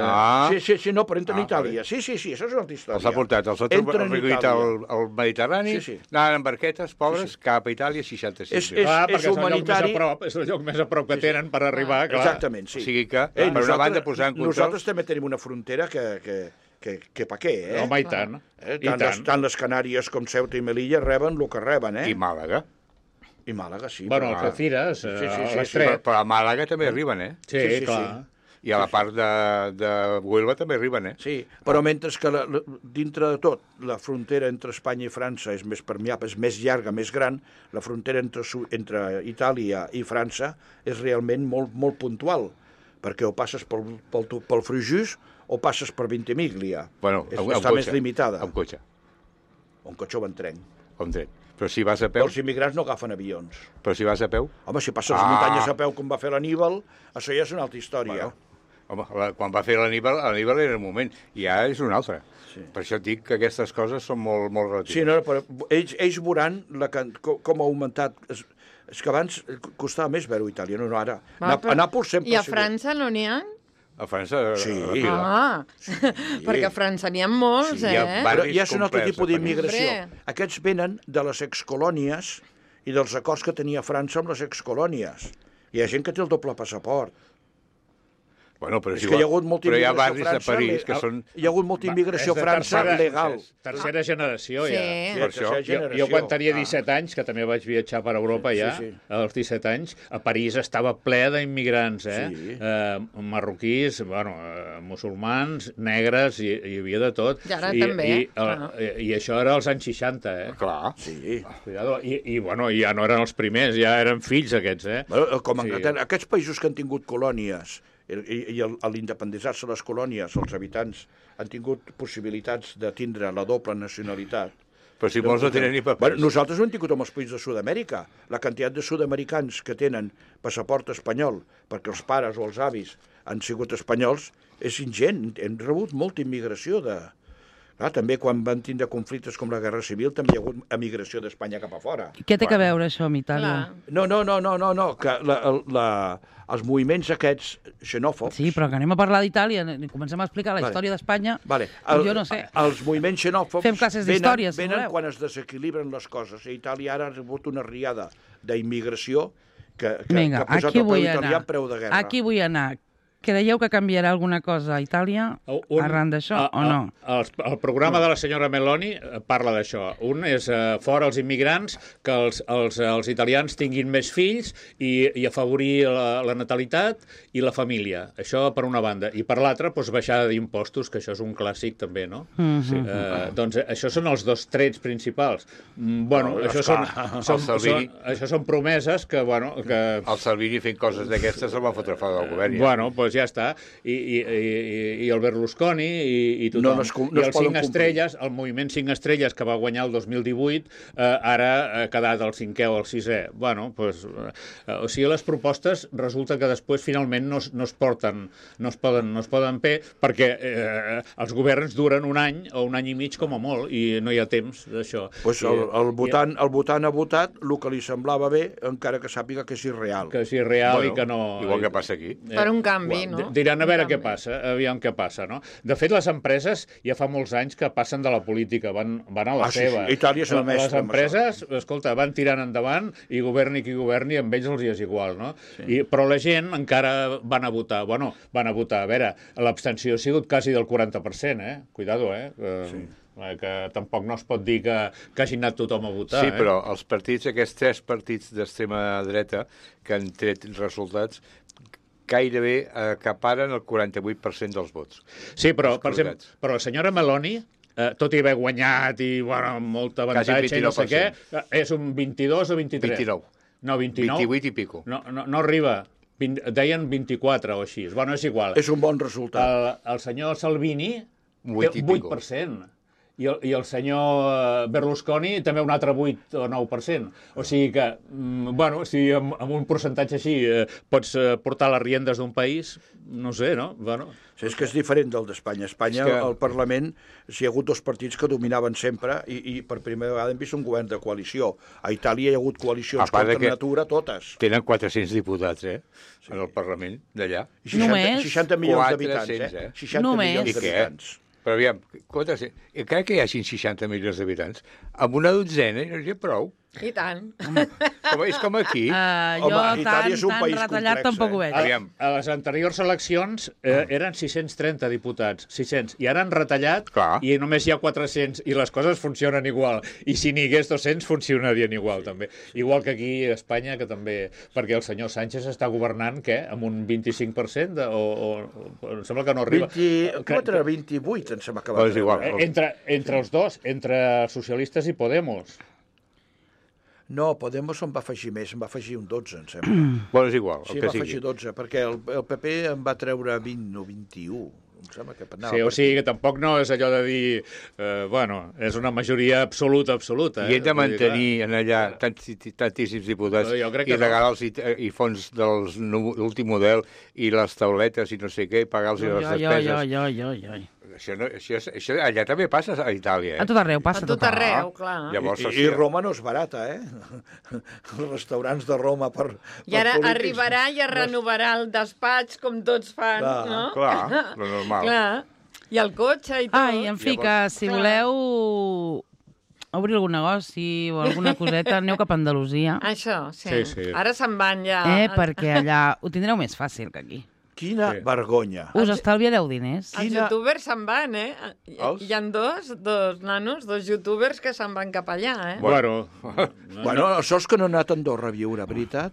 Sí, no, però entren a Itàlia. Sí, això és una altra història. Els ha portat, els ha recollit al Mediterrani, anaven en barquetes, pobres, cap a Itàlia, 66. És humanitari. És el lloc més a prop que tenen per arribar, clar. Exactament, sí. O sigui que, per una banda, posar en control... Nosaltres també tenim una frontera que pa què, Home, i tant. Tant les Canàries com Ceuta i Melilla reben el que reben, I Màlaga. I Màlaga, sí. Bueno, Algeciras, l'Estret. Però a Màlaga també arriben, Sí, clar. I a la part de Huelva també arriben, Sí, però mentre que dintre de tot la frontera entre Espanya i França és més permeable, és més llarga, més gran, la frontera entre Itàlia i França és realment molt, molt puntual, perquè o passes pel Frujus o passes per Ventimiglia. Està més limitada. Amb cotxe. Un cotxe o en tren. Però si vas a peu... Els immigrants no agafen avions. Però si vas a peu... Home, si passes les muntanyes a peu com va fer l'Aníbal, això ja és una altra història. Home, quan va fer l'Aníbal era un moment, i ara és un altre. Sí. Per això et dic que aquestes coses són molt, molt relatives. Sí, no, però ells veuran com ha augmentat... És que abans costava més veure-ho a Itàlia, no ara. A Nàpols sempre... I a França no n'hi ha? A França... Sí. Perquè a França n'hi ha molts, Però ja és un altre tipus d'immigració. Aquests venen de les excolònies i dels acords que tenia França amb les excolònies. Hi ha gent que té el doble passaport. Bueno, però és que hi ha hagut molta immigració a barris França, de París que són... Hi ha hagut molta immigració a França legal. Tercera generació, ja. Per això. Jo quan tenia 17 anys, que també vaig viatjar per Europa ja, als 17 anys, a París estava ple d'immigrants, marroquís, musulmans, negres, hi havia de tot. I ara també. I això era als anys 60, Clar. Sí. Cuidado. I ja no eren els primers, ja eren fills aquests, Com Anglaterra. Aquests països que han tingut colònies i a l'independitzar-se les colònies, els habitants han tingut possibilitats de tindre la doble nacionalitat. Però si molts no tenen ni papers. Nosaltres ho hem tingut amb els països de Sud-amèrica. La quantitat de sud-americans que tenen passaport espanyol perquè els pares o els avis han sigut espanyols és ingent. Hem rebut molta immigració de... també quan van tindre conflictes com la Guerra Civil també hi ha hagut emigració d'Espanya cap a fora. I què té a veure això amb Itàlia? No, que els moviments aquests xenòfobs... Sí, però que anem a parlar d'Itàlia, comencem a explicar la història d'Espanya, jo no sé. Els moviments xenòfobs fem classes d'història, si venen voleu. quan es desequilibren les coses. A Itàlia ara ha rebut una riada d'immigració que ha posat el peu italià en preu de guerra. Aquí vull anar. Creieu que canviarà alguna cosa a Itàlia arran d'això o no? El programa de la senyora Meloni parla d'això. Un és fora els immigrants, que els italians tinguin més fills i afavorir la natalitat i la família. Això per una banda. I per l'altra, baixada d'impostos, que això és un clàssic també, no? Doncs això són els dos trets principals. Això són promeses que... El Salvini fent coses d'aquestes el va fotre fora del govern. Doncs ja està. I el Berlusconi i tothom. I els 5 estrelles, el moviment 5 estrelles que va guanyar el 2018, ara ha quedat el 5è o el 6è. O sigui, les propostes resulta que després finalment no es poden fer perquè els governs duren un any o un any i mig com a molt i no hi ha temps d'això. El votant ha votat el que li semblava bé, encara que sàpiga que és irreal. Que és irreal i que no... Igual que passa aquí. Per un canvi, no? Diran a veure què passa, aviam què passa, no? De fet, les empreses ja fa molts anys que passen de la política, van a la seva. Sí. Itàlia és una mestra. Les empreses, escolta, van tirant endavant i governi qui governi, amb ells els hi és igual, no? Sí. Però la gent encara van a votar. Van a votar. A veure, l'abstenció ha sigut quasi del 40%, Cuidado, que tampoc no es pot dir que hagi anat tothom a votar. Sí, però els partits, aquests 3 partits d'extrema dreta que han tret resultats, gairebé acaparen el 48% dels vots. Sí, però, per exemple, però la senyora Meloni, tot i haver guanyat i molt avantatge i no sé què, és un 22 o 23? 29. No, 29? 28 i pico. No arriba. Deien 24 o així. És igual. És un bon resultat. El senyor Salvini té 8%. I el senyor Berlusconi també un altre 8 o 9%. O sigui que, si amb un percentatge així pots portar les riendes d'un país, no sé, no? És que és diferent del d'Espanya. A Espanya, al Parlament, hi ha hagut 2 partits que dominaven sempre i per primera vegada hem vist un govern de coalició. A Itàlia hi ha hagut coalicions contra natura, totes. Tenen 400 diputats, en el Parlament d'allà. 60 milions d'habitants, 60 milions d'habitants. Però aviam, encara que hi hagin 60 milions d'habitants, amb una dotzena no hi ha prou. I tant. És com aquí. Jo tan retallat tampoc ho veig. A les anteriors eleccions eren 630 diputats, 600, i ara han retallat i només hi ha 400, i les coses funcionen igual. I si n'hi hagués 200, funcionarien igual, també. Igual que aquí a Espanya, que també... Perquè el senyor Sánchez està governant, què? Amb un 25%? Em sembla que no arriba. 28, em sembla que va arribar. Entre els dos, entre socialistes i Podemos. No, Podemos en va afegir més, en va afegir un 12, em sembla. És igual, el que sigui. Sí, va afegir 12, perquè el PP en va treure 20 o 21. Em sembla que sí, o sigui que tampoc no és allò de dir... és una majoria absoluta. I hem de mantenir en allà tantíssims diputats i regalar-los i fons de l'últim model i les tauletes i no sé què, i pagar-los les despeses. Això allà també passa a Itàlia, A tot arreu passa. A tot arreu, clar. I Roma no és barata, Els restaurants de Roma per I ara arribarà i es renovarà el despatx com tots fan, no? Clar, lo normal. Clar. I el cotxe i tot. En fi, que si voleu obrir algun negoci o alguna coseta, aneu cap a Andalusia. Això, sí. Ara se'n van ja... Perquè allà ho tindreu més fàcil que aquí. Quina vergonya. Us estalviareu diners. Els youtubers se'n van, Hi ha dos nanos, dos youtubers que se'n van cap allà, Bueno, això és que no ha anat a Andorra a viure, veritat?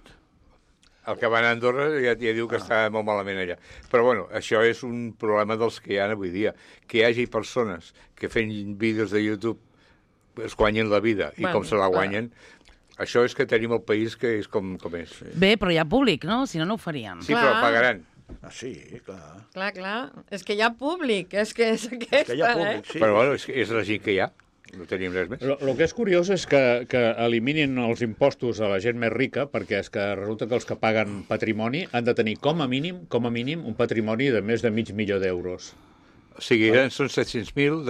El que va anar a Andorra ja diu que està molt malament allà. Però, bueno, això és un problema dels que hi ha avui dia. Que hi hagi persones que fent vídeos de YouTube es guanyen la vida i com se la guanyen... Això és que tenim el país que és com és. Bé, però hi ha públic, no? Si no, no ho farien. Sí, però pagaran. Sí, clar. Clar. És que hi ha públic, és que és aquesta, que hi ha públic, sí. Però, bueno, és la gent que hi ha. No tenim res més. El que és curiós és que eliminin els impostos a la gent més rica, perquè és que resulta que els que paguen patrimoni han de tenir com a mínim un patrimoni de més de $500.000 d'euros. O sigui, són 700.000,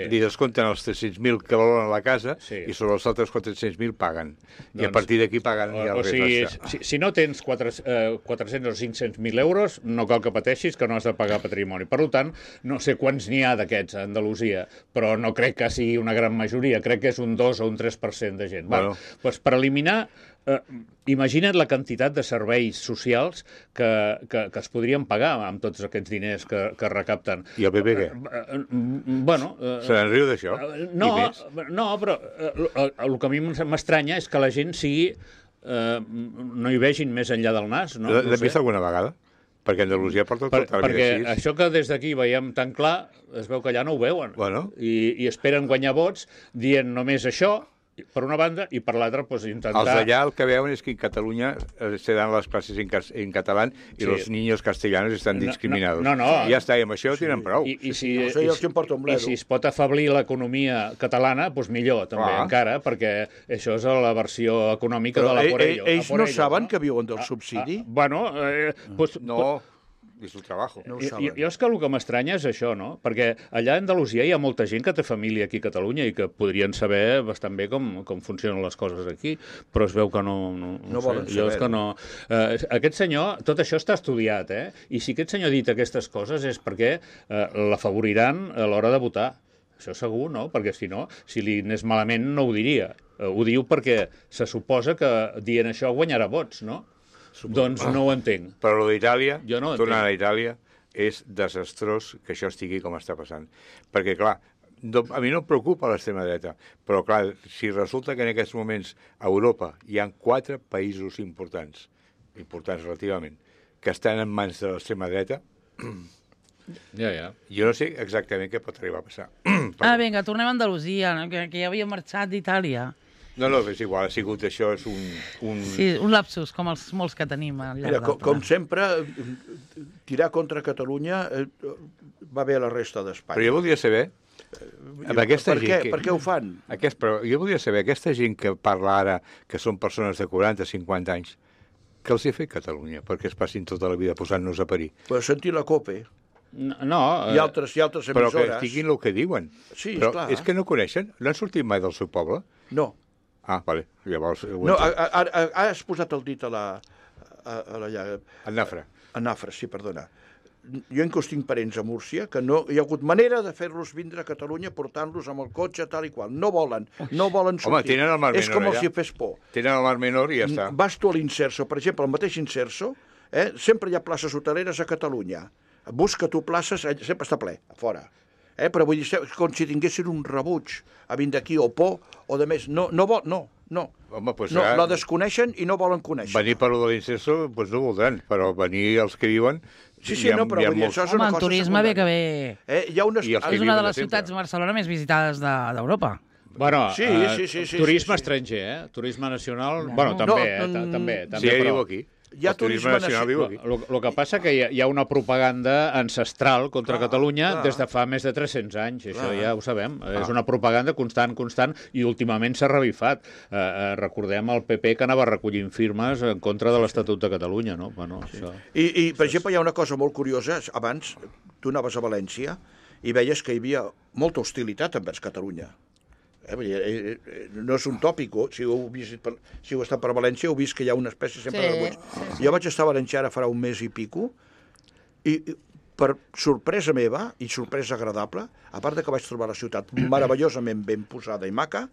li descompten els 300.000 que valoren la casa i sobre els altres 400.000 paguen. I a partir d'aquí paguen ja el res. O sigui, si no tens 400 o 500.000 euros, no cal que pateixis que no has de pagar patrimoni. Per tant, no sé quants n'hi ha d'aquests a Andalusia, però no crec que sigui una gran majoria. Crec que és un 2 o un 3% de gent. Bueno. Doncs per eliminar... imagina't la quantitat de serveis socials que es podrien pagar amb tots aquests diners que recapten. I el PP què? Bueno... Se n'enriu d'això? No, però el que a mi m'estranya és que la gent no hi vegin més enllà del nas. L'has vist alguna vegada? Perquè Andalusia porta tota la vida perquè així. Això que des d'aquí veiem tan clar, es veu que allà no ho veuen. I esperen guanyar vots dient només això, per una banda, i per l'altra, doncs, intentar... Els d'allà el que veuen és que en Catalunya se dan les classes en català i els niños castellanos estan discriminados. Ja està, i amb això tenen prou. I si es pot afeblir l'economia catalana, doncs millor, també, encara, perquè això és la versió econòmica de la por ello. Ells no saben que viuen del subsidi? Bueno, no... és el treball. Jo és que el que m'estranya és això, no? Perquè allà a Andalusia hi ha molta gent que té família aquí a Catalunya i que podrien saber bastant bé com funcionen les coses aquí, però es veu que no volen saber. Aquest senyor, tot això està estudiat, I si aquest senyor ha dit aquestes coses és perquè l'afavoriran a l'hora de votar. Això segur, no? Perquè si no, si li anés malament no ho diria. Ho diu perquè se suposa que dient això guanyarà vots, no? Doncs no ho entenc. Però d'Itàlia, tornant a Itàlia, és desastrós que això estigui com està passant. Perquè, clar, a mi no em preocupa l'extrema dreta, però, clar, si resulta que en aquests moments a Europa hi ha 4 països importants relativament, que estan en mans de l'extrema dreta, jo no sé exactament què pot arribar a passar. Vinga, tornem a Andalusia, que ja havia marxat d'Itàlia. No, és igual, ha sigut això, és un... Sí, un lapsus, com els molts que tenim al llarg del programa. Com sempre, tirar contra Catalunya va bé a la resta d'Espanya. Però jo voldria saber... Per què ho fan? Però jo voldria saber, aquesta gent que parla ara, que són persones de 40-50 anys, què els ha fet Catalunya perquè es passin tota la vida posant-nos a parir? Per sentir la COPE. No. I altres emissores. Però que diguin el que diuen. Sí, però és que no coneixen? No han sortit mai del seu poble? No. Vale. Llavors... No, has posat el dit a la llaga. A Nafra. A Nafra, sí, perdona. Jo inclús tinc parents a Múrcia que no hi ha hagut manera de fer-los vindre a Catalunya portant-los amb el cotxe tal i qual. No volen sortir. Home, tenen el Mar Menor allà. És com si fes por. Tenen el Mar Menor i ja està. Vas tu a l'Inserso, per exemple, al mateix Inserso, sempre hi ha places hoteleres a Catalunya. Busca tu places, sempre està ple, a fora. Però vull dir, com si tinguessin un rebuig a vindre aquí o por o de més. No. Home, pues la desconeixen i no volen conèixer. Venir per lo de l'Inserso, doncs no voldran, però venir els que viuen... Sí, no, però vull dir, això és una cosa el turisme ve que ve... És una de les ciutats, Barcelona, més visitades d'Europa. Bueno, sí. Turisme estranger, Turisme nacional... Bueno, també. Sí, viu aquí. Hi ha turisme nacional viu aquí. El que passa que hi ha una propaganda ancestral contra Catalunya des de fa més de 300 anys. Això ja ho sabem. És una propaganda constant, i últimament s'ha revifat. Recordem el PP que anava recollint firmes en contra de l'Estatut de Catalunya, no? Bueno, això... I, per exemple, hi ha una cosa molt curiosa. Abans, tu anaves a València i veies que hi havia molta hostilitat envers Catalunya. No és un tòpic, si heu estat per València heu vist que hi ha una espècie sempre de rebuig. Jo vaig estar a València ara farà un mes i pico i per sorpresa meva i sorpresa agradable, a part que vaig trobar la ciutat meravellosament ben posada i maca,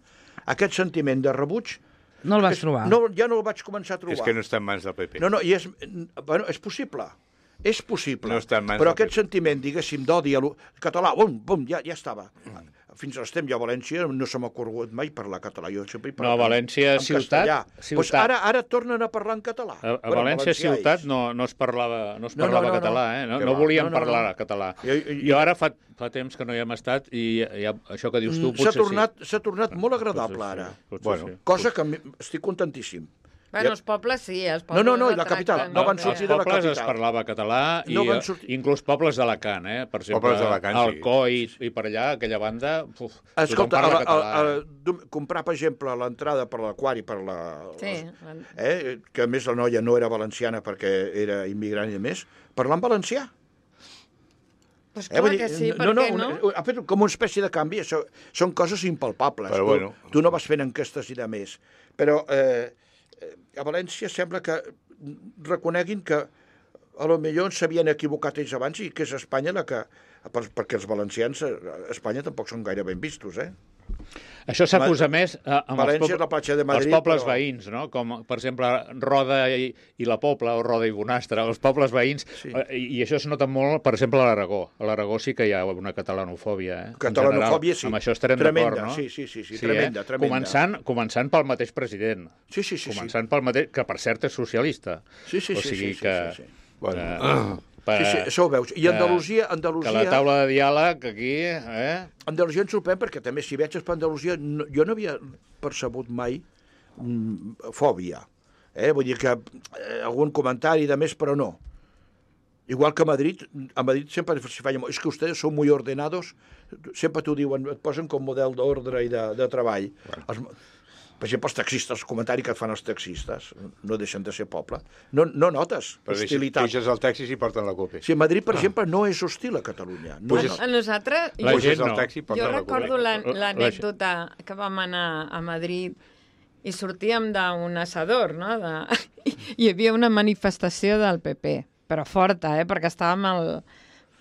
aquest sentiment de rebuig no el vas trobar. Ja no el vaig començar a trobar. És que no està en mans del PP. No, i és possible. És possible, No està en mans però del aquest PP. sentiment, diguéssim, d'odi al català, bum, ja estava. Fins a l'estem, jo a València no se m'ha ocorregut mai parlar català. Jo sempre he No, a parlat València, en ciutat... castellà. Pues ara tornen a parlar en català. A Bueno, València valencià ciutat ells. no es parlava no, català, eh? Que No va. volíem No. parlar català. Jo ara fa temps que no hi hem estat i això que dius tu potser S'ha tornat molt agradable Potser ara. Potser Bueno. sí. Cosa que estic contentíssim. Bueno, els pobles sí, els pobles... No, i el la capital, tracten no van bé. sortir Als de la pobles es capital. parlava català i No van sortir- inclús pobles d'Alacant, per exemple, Pobles d'Alacant, sí. Alcoi i per allà, aquella banda, tothom Escolta, parla català. comprar, per exemple, l'entrada per l'aquari, per la... Sí. que a més la noia no era valenciana perquè era immigrant i a més, parlar en valencià. Pues clar Vull dir, que sí, per què no? Ha fet com una espècie de canvi, això són coses impalpables. Però bueno. Tu no vas fent enquestes i de més. Però a València sembla que reconeguin que a lo millor s'havien equivocat ells abans i que és Espanya la que... Perquè els valencians a Espanya tampoc són gaire ben vistos, Això s'acusa més amb València és la platja de Madrid, els pobles però- veïns, no? Com, per exemple, Roda i la Pobla, o Roda i Bonastre, els pobles veïns, Sí. i això es nota molt, per exemple, a l'Aragó. A l'Aragó sí que hi ha una catalanofòbia, en Catalanofòbia, sí. general. Amb això estarem Tremenda, d'acord, no? sí, tremenda, tremenda. Començant pel mateix president. Sí. Començant pel mateix, que per cert és socialista. Sí. O sigui que... Sí. Bueno, Sí, això ho veus. I Andalusia... Que la taula de diàleg aquí... Andalusia em sorprèn perquè també si viatges per Andalusia jo no havia percebut mai fòbia. Vull dir que algun comentari de més, però no. Igual que a Madrid sempre s'hi feia... És que ustedes són muy ordenados, sempre t'ho diuen, et posen com model d'ordre i de treball. Per exemple, els taxistes, els comentaris que et fan els taxistes, no deixen de ser poble. No notes però hostilitat. deixes el taxi i porten la copa. Sí, Madrid, per exemple, no és hostil a Catalunya. A nosaltres... La gent Puges al no. taxi i porten Jo la copa. recordo l'anècdota que vam anar a Madrid i sortíem d'un assador, no? Hi havia una manifestació del PP, però forta, perquè estàvem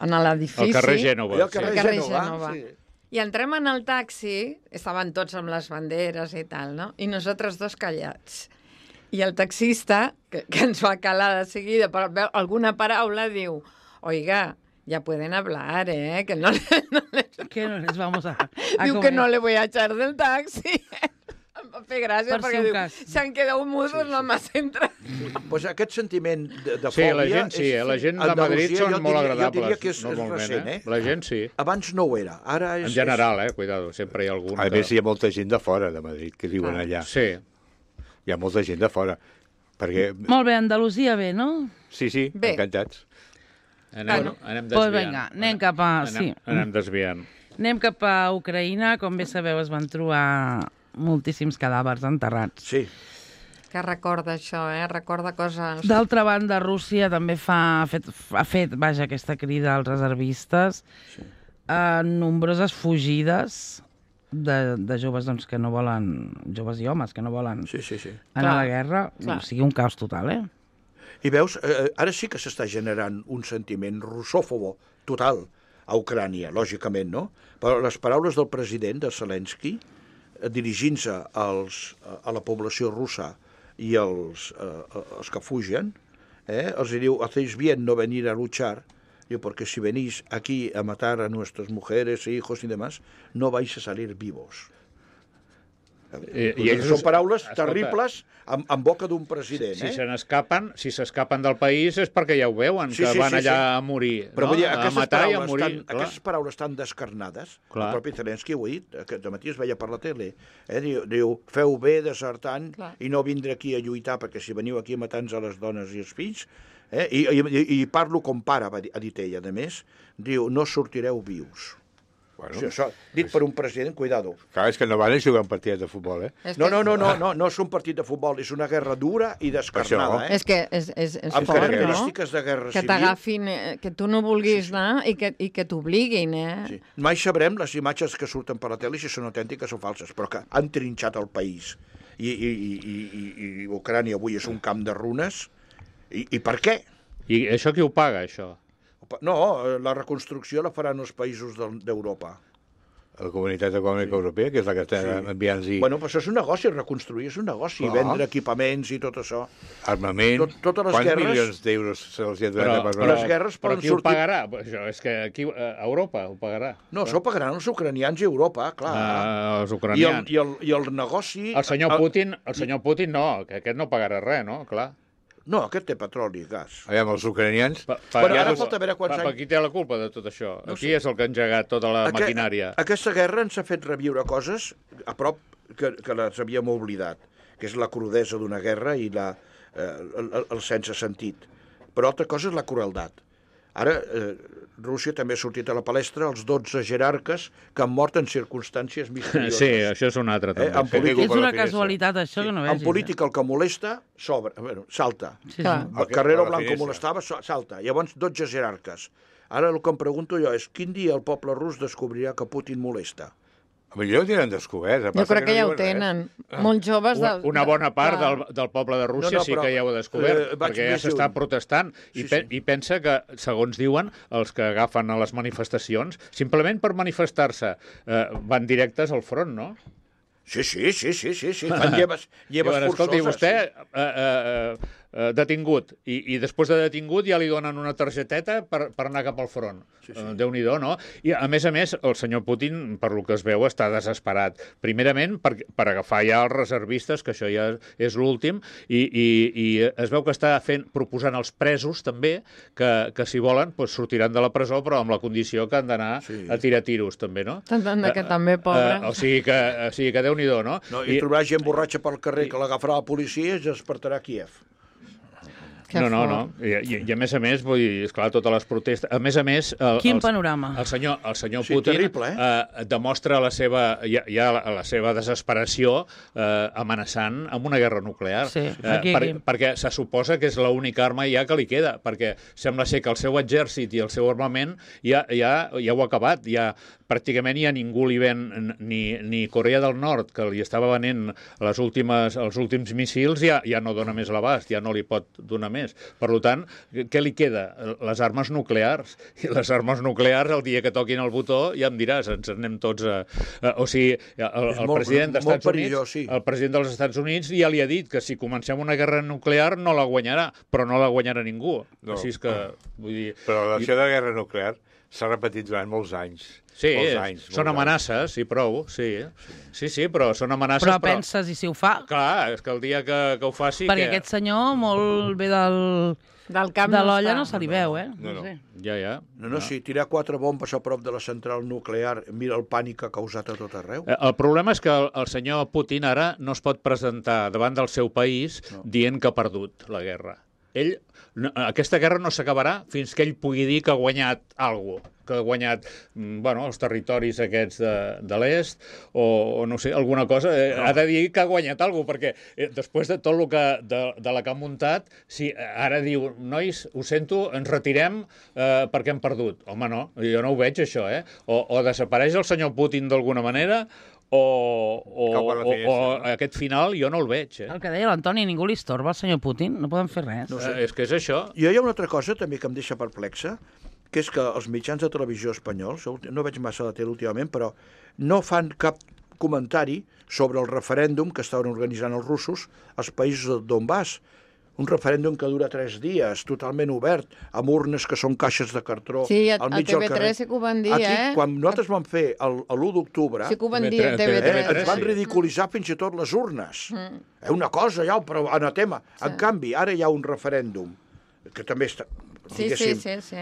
en l'edifici. Al carrer Gènova. Al carrer Gènova, sí. I entrem en el taxi, estaven tots amb les banderes i tal, no? I nosaltres dos callats. I el taxista, que ens va calar de seguida per alguna paraula, diu, oiga, ya pueden hablar, que no Que no les vamos a diu que no le voy a echar del taxi. Em va fer gràcia Per perquè si un diu, cas. s'han quedat mudos nomás entra. Pues aquest sentiment de Sí, fòbia... la gent sí, la gent de Madrid són molt agradables. Jo diria que és normalment, recent, La gent sí. Abans no ho era, ara és... En general, cuidado, sempre hi ha algun A més, hi ha molta gent de fora de Madrid que viuen allà. Sí. Hi ha molta gent de fora. Perquè... Molt bé, Andalusia bé, no? Sí, Bé. encantats. Anem desviant. Pues vinga, anem cap a... Sí. Anem desviant. Anem cap a Ucraïna. Com bé sabeu, es van trobar moltíssims cadàvers enterrats. Sí. Que recorda això, recorda coses... D'altra banda, Rússia també ha fet aquesta crida als reservistes a nombroses fugides de joves doncs, que no volen, joves i homes que no volen Sí. anar a la guerra. Clar. O sigui, un caos total, I veus, ara sí que s'està generant un sentiment russòfobo total a Ucrània, lògicament, no? Però les paraules del president, de Zelensky, dirigint-se a la població russa i els que fugen, els diu, hacéis bien no venir a luchar, diu, porque si venís aquí a matar a nuestras mujeres, hijos y demás, no vais a salir vivos. I ells Són paraules escolta, terribles en boca d'un president. Si s'escapen del país és perquè ja ho veuen, que van allà a morir, Però vull dir, a matar i a morir. aquestes paraules tan descarnades, Clar. el propi Zelensky ho ha dit, aquest matí es veia per la tele, diu, feu bé desertant i no vindre aquí a lluitar, perquè si veniu aquí a matar-nos a les dones i els fills, i parlo com pare, ha dit ell, a més, diu, no sortireu vius. Bueno, O sigui, això, dit per un president, cuidado. clar, és que no van a jugar un partit de futbol, No és un partit de futbol, és una guerra dura i descarnada, És que és amb fort, no? característiques de guerra Que civil. t'agafin, que tu no vulguis anar i que t'obliguin, Sí. Mai sabrem les imatges que surten per la tele si són autèntiques o falses, però que han trinxat el país. I Ucrània avui és un camp de runes. I per què? I això qui ho paga, això? No, la reconstrucció la faran els països d'Europa. la Comunitat Econòmica Europea, que és la que està enviant-hi... Bueno, però això és un negoci, reconstruir és un negoci, vendre equipaments i tot això. Armament, totes les quants guerres... milions d'euros se'ls ha donat per les guerres però poden qui ho sortir... pagarà? Això és que aquí, Europa ho pagarà. No, això ho pagaran els ucranians i Europa, clar. Els ucranians. I el negoci... El senyor Putin no, que aquest no pagarà res, no? Clar. No, aquest té petroli i gas. Aviam, els ucranians... Però ara falta veure quants anys... Qui té la culpa de tot això? Qui és el que ha engegat tota la maquinària? Aquesta guerra ens ha fet reviure coses a prop que les havíem oblidat, que és la crudesa d'una guerra i el sense sentit. Però altra cosa és la crueldat. Ara, Rússia també ha sortit a la palestra els 12 jerarques que han mort en circumstàncies misterioses. Sí, això és un altre, també. És una casualitat, això, que no vegis. En política, el que molesta, salta. Sí. El Carrero Blanco molestava, salta. Llavors, 12 jerarques. Ara el que em pregunto jo és quin dia el poble rus descobrirà que Putin molesta? Millor ho tenen descobert. Jo crec que ja ho tenen. Molts joves... Una bona part del poble de Rússia sí que ja ho ha descobert, perquè ja s'està protestant. I pensa que, segons diuen, els que agafen a les manifestacions, simplement per manifestar-se, van directes al front, no? Sí. Fan lleves forçoses. Escolti, vostè detingut, i després de detingut ja li donen una targeteta per anar cap al front. Déu-n'hi-do, no? I, a més, el senyor Putin, per lo que es veu, està desesperat. Primerament, per agafar ja els reservistes, que això ja és l'últim, i es veu que està proposant als presos, també, que si volen, sortiran de la presó, però amb la condició que han d'anar a tirar tiros, també, no? Que també, pobre. O sigui que Déu-n'hi-do, no? I trobarà gent borratxa pel carrer que l'agafarà la policia i es despertarà a Kíev. No. I a més, vull dir, esclar, totes les protestes... A més... Quin panorama. El senyor Putin terrible, demostra la seva desesperació amenaçant amb una guerra nuclear. Sí, perquè se suposa que és l'única arma ja que li queda, perquè sembla ser que el seu exèrcit i el seu armament ja ho ha acabat. Pràcticament ja ningú li ven, ni Corea del Nord, que li estava venent els últims missils, ja no dona més l'abast, ja no li pot donar més. Per tant, què li queda? Les armes nuclears. I les armes nuclears, el dia que toquin el botó, ja em diràs, ens anem tots a... O sigui, el president dels Estats Units ja li ha dit que si comencem una guerra nuclear no la guanyarà, però no la guanyarà ningú. Així és que, vull dir... Però l'acció de guerra nuclear s'ha repetit durant molts anys. Sí, són amenaces, i prou, sí, però són amenaces... Però penses, i si ho fa? Clar, és que el dia que ho faci... Perquè aquest senyor molt bé del camp de l'olla no se li veu, No sé. Ja. No, si tirar 4 bombes a prop de la central nuclear, mira el pànic que ha causat a tot arreu. El problema és que el senyor Putin ara no es pot presentar davant del seu país dient que ha perdut la guerra. Aquesta guerra no s'acabarà fins que ell pugui dir que ha guanyat alguna cosa, que ha guanyat els territoris aquests de l'est, o no sé, alguna cosa. Ha de dir que ha guanyat alguna cosa, perquè després de tot el de la que ha muntat, si ara diu, nois, ho sento, ens retirem perquè hem perdut. Home, no, jo no ho veig, això, O desapareix el senyor Putin d'alguna manera, o aquest final jo no el veig. El que deia l'Antoni, ningú li estorba al senyor Putin, no poden fer res. No sé. És que és això. I hi ha una altra cosa també que em deixa perplexa, que és que els mitjans de televisió espanyols, no veig massa la tele últimament, però no fan cap comentari sobre el referèndum que estaven organitzant els russos als països del Donbass. Un referèndum que dura 3 dies, totalment obert, amb urnes que són caixes de cartró al mig del carrer. Sí, a TV3 sí que ho van dir, Aquí, quan nosaltres vam fer l'1 d'octubre, sí que ho van dir a TV3. Ens van ridiculitzar fins i tot les urnes. Una cosa, ja, però anatema. En canvi, ara hi ha un referèndum que també està,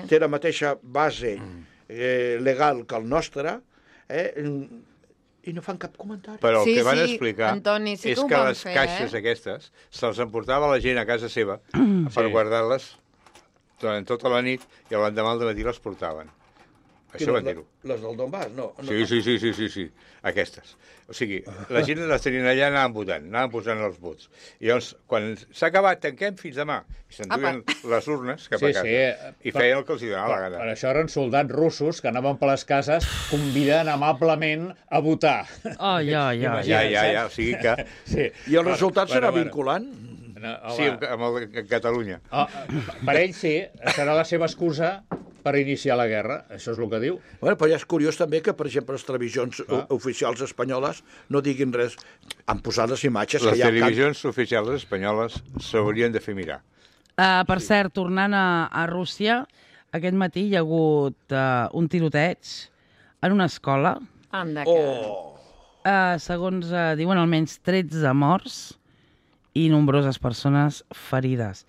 té la mateixa base legal que el nostre, i no fan cap comentari. Però el que van explicar Antoni, és que les caixes aquestes se'ls emportava la gent a casa seva per guardar-les durant tota la nit i l'endemà al matí les portaven. Això van dir-ho. Les del Donbass? No. Sí. Aquestes. O sigui, la gent les tenien allà, anaven posant els vots. I llavors, quan s'ha acabat, tanquem fins demà. I s'enduien les urnes cap a casa. I feien el que els donava la gana. Per això eren soldats russos que anaven per les cases convidant amablement a votar. Ja. O sigui que... I el resultat serà vinculant? Sí, amb Catalunya. Per ells sí, serà la seva excusa per iniciar la guerra, això és el que diu. Bueno, però ja és curiós també que, per exemple, les televisions oficials espanyoles no diguin res. Han posat les imatges que Les hi ha... televisions oficials espanyoles s'haurien de fer mirar. Per cert, tornant a Rússia, aquest matí hi ha hagut un tiroteig en una escola. Anda, que... Segons diuen, almenys 13 morts i nombroses persones ferides.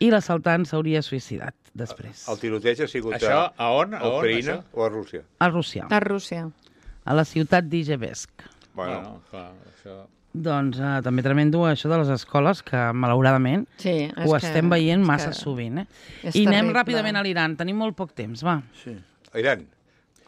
I l'assaltant s'hauria suïcidat després. El tiroteig ha sigut Això, a on? a Ucraïna o a Rússia? A Rússia. A Rússia. A la ciutat d'Ijevesk. Bueno, clar, això... Doncs també tremendo això de les escoles, que malauradament ho estem veient massa sovint. I anem ràpidament a l'Iran. Tenim molt poc temps, va. Sí. A Iran.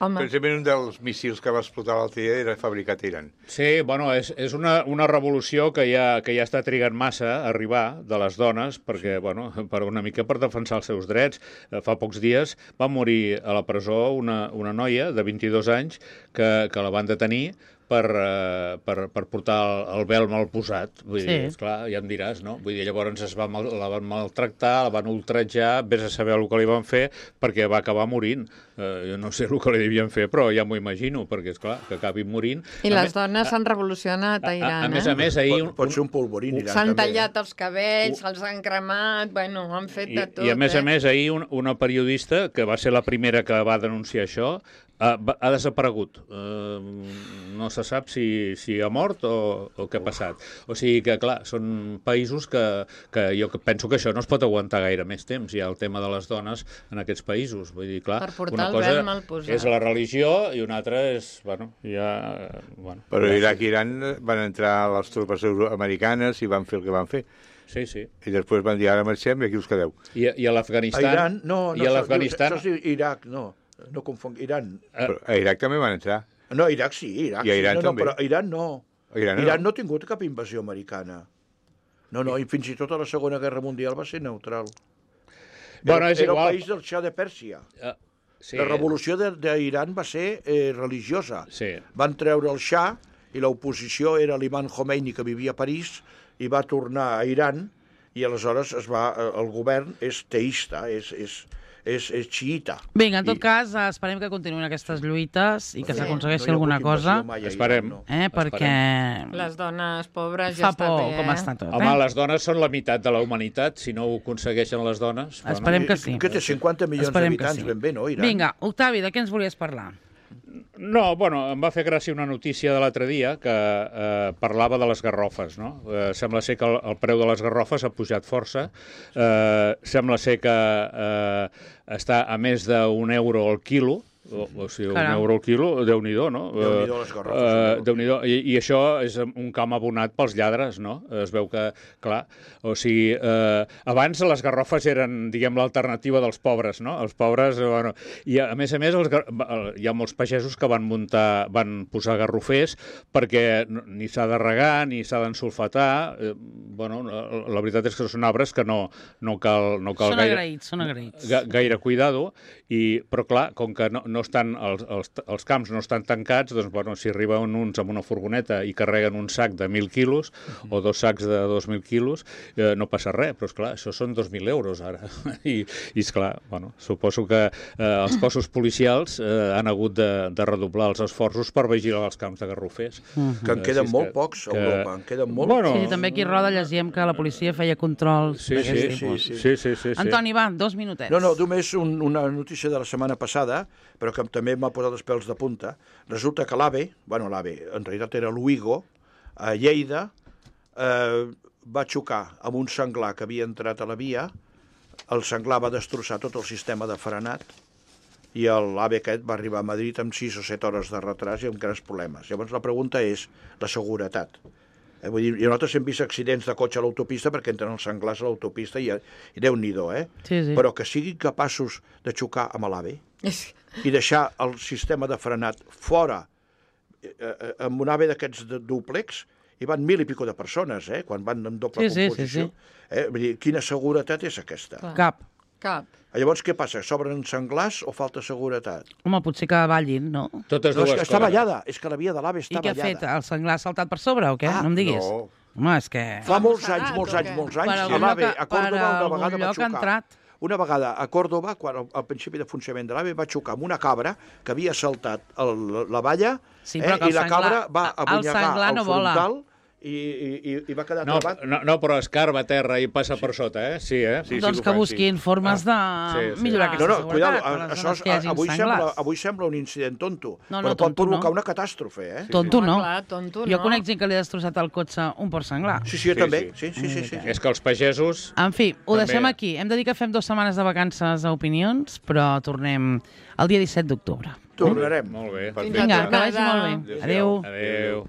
Home. Precisament un dels míssils que va explotar l'altre dia era fabricat a Iran. Sí, bueno, és una revolució que ja està trigant massa a arribar de les dones, perquè, bueno, per una mica per defensar els seus drets. Fa pocs dies va morir a la presó una noia de 22 anys que la van detenir per portar el vel mal posat. Vull dir, esclar, ja em diràs, no? Vull dir, llavors la van maltractar, la van ultratjar, vés a saber el que li van fer, perquè va acabar morint. Jo no sé el que li devien fer, però ja m'ho imagino, perquè, esclar, que acabi morint. I les dones s'han revolucionat a Iran, A més, ahir... Pot ser un polvorín, Iran, s'han tallat els cabells, se'ls han cremat, bueno, han fet de tot. I a més, ahir una periodista, que va ser la primera que va denunciar això, ha desaparegut. No se sap si ha mort o què ha passat. O sigui que, clar, són països que jo penso que això no es pot aguantar gaire més temps, ja el tema de les dones en aquests països. Vull dir, clar, una cosa és la religió i una altra és, bueno, ja... Bueno, però Iraq i Iran van entrar les tropes americanes i van fer el que van fer. Sí, sí. I després van dir, ara marxem i aquí us quedeu. I a l'Afganistan... A Iran, no, l'Afganistan... això és Iraq, no confong, Iran. Però a Iraq també van entrar. No, Iraq sí, Iraq I a Iran sí. també. Però Iran no. Iran no ha tingut cap invasió americana. No, i fins i tot a la Segona Guerra Mundial va ser neutral. Bueno, és era igual. el país del Shah de Pèrsia. Sí. La revolució d'Iran va ser religiosa. Sí. Van treure el Shah i l'oposició era l'imam Khomeini, que vivia a París, i va tornar a Iran, i aleshores el govern és teista, és xiita. Vinga, en tot cas, esperem que continuïn aquestes lluites i que s'aconsegueixi alguna cosa. Esperem. Perquè... Les dones pobres ja fa por està bé, com està tot. Home, les dones són la meitat de la humanitat. Si no ho aconsegueixen les dones... Esperem que sí. Que té 50 milions d'habitants, ben bé, no, Iran? Vinga, Octavi, de què ens volies parlar? No, bueno, em va fer gràcia una notícia de l'altre dia que parlava de les garrofes, no? Sembla ser que el preu de les garrofes ha pujat força. Sembla ser que està a més d'1 euro al quilo, o sigui, Caram. 1 euro al quilo, Déu-n'hi-do, no? Déu-n'hi-do les garrofes. Déu-n'hi-do. I això és un camp abonat pels lladres, no? Es veu que, clar, o sigui, abans les garrofes eren, diguem, l'alternativa dels pobres, no? Els pobres, bueno... I a més, hi ha molts pagesos que van posar garrofers perquè ni s'ha de regar, ni s'ha d'ensulfatar. Bueno, la veritat és que són arbres que no cal Són agraïts. Gaire cuidado, però clar, com que no estan, els camps no estan tancats, doncs, bueno, si arriben uns amb una furgoneta i carreguen un sac de 1.000 quilos o 2 sacs de 2.000 quilos, no passa res, però esclar, això són 2.000 euros ara. I esclar, bueno, suposo que els cossos policials han hagut de redoblar els esforços per vigilar els camps de garrofers. Que en queden molt pocs a Europa, en queden molt. Bueno, Sí, també aquí a Roda llegíem que la policia feia controls d'aquest tipus. Sí. Antoni, va, 2 minutets. No, només una notícia de la setmana passada, però que també m'ha posat els pèls de punta. Resulta que l'AVE, en realitat era l'Uigo, a Lleida, va xocar amb un senglar que havia entrat a la via, el senglar va destrossar tot el sistema de frenat, i l'AVE aquest va arribar a Madrid amb 6 o 7 hores de retras i amb grans problemes. Llavors la pregunta és la seguretat. Vull dir, nosaltres hem vist accidents de cotxe a l'autopista perquè entren els senglars a l'autopista i Déu-n'hi-do, Sí. Però que siguin capaços de xocar amb l'AVE i deixar el sistema de frenat fora amb un AVE d'aquests dúplex, hi van 1.000 i pico de persones, quan van en doble composició. Vull dir, quina seguretat és aquesta? Cap. Llavors, què passa? S'obren senglars o falta seguretat? Home, potser que ballin, no? Totes No, dues és que està coses. ballada, és que la via de l'AVE està I què ha ballada. fet? El senglar ha saltat per sobre o què? No em diguis. no. Home, és que... Fa molts anys, Per l'AVE a Còrdova una vegada va xocar. una vegada a Còrdova, quan al principi de funcionament de l'AVE, va xocar amb una cabra que havia saltat la valla i la cabra va abonyegar el frontal i va quedar travat. No, però escarba a terra i passa per sota, eh? Sí, eh? Doncs que busquin formes de millorar aquesta seguretat. Avui sembla un incident tonto, però pot provocar una catàstrofe, eh? Tonto no. Tonto no. Jo conec gent que li ha destrossat el cotxe un porc senglar. Sí, jo també. Sí. És que els pagesos... En fi, ho deixem aquí. Hem de dir que fem 2 setmanes de vacances a Opinions, però tornem el dia 17 d'octubre. Tornarem. Molt bé. Vinga, que vagi molt bé. Adéu. Adéu.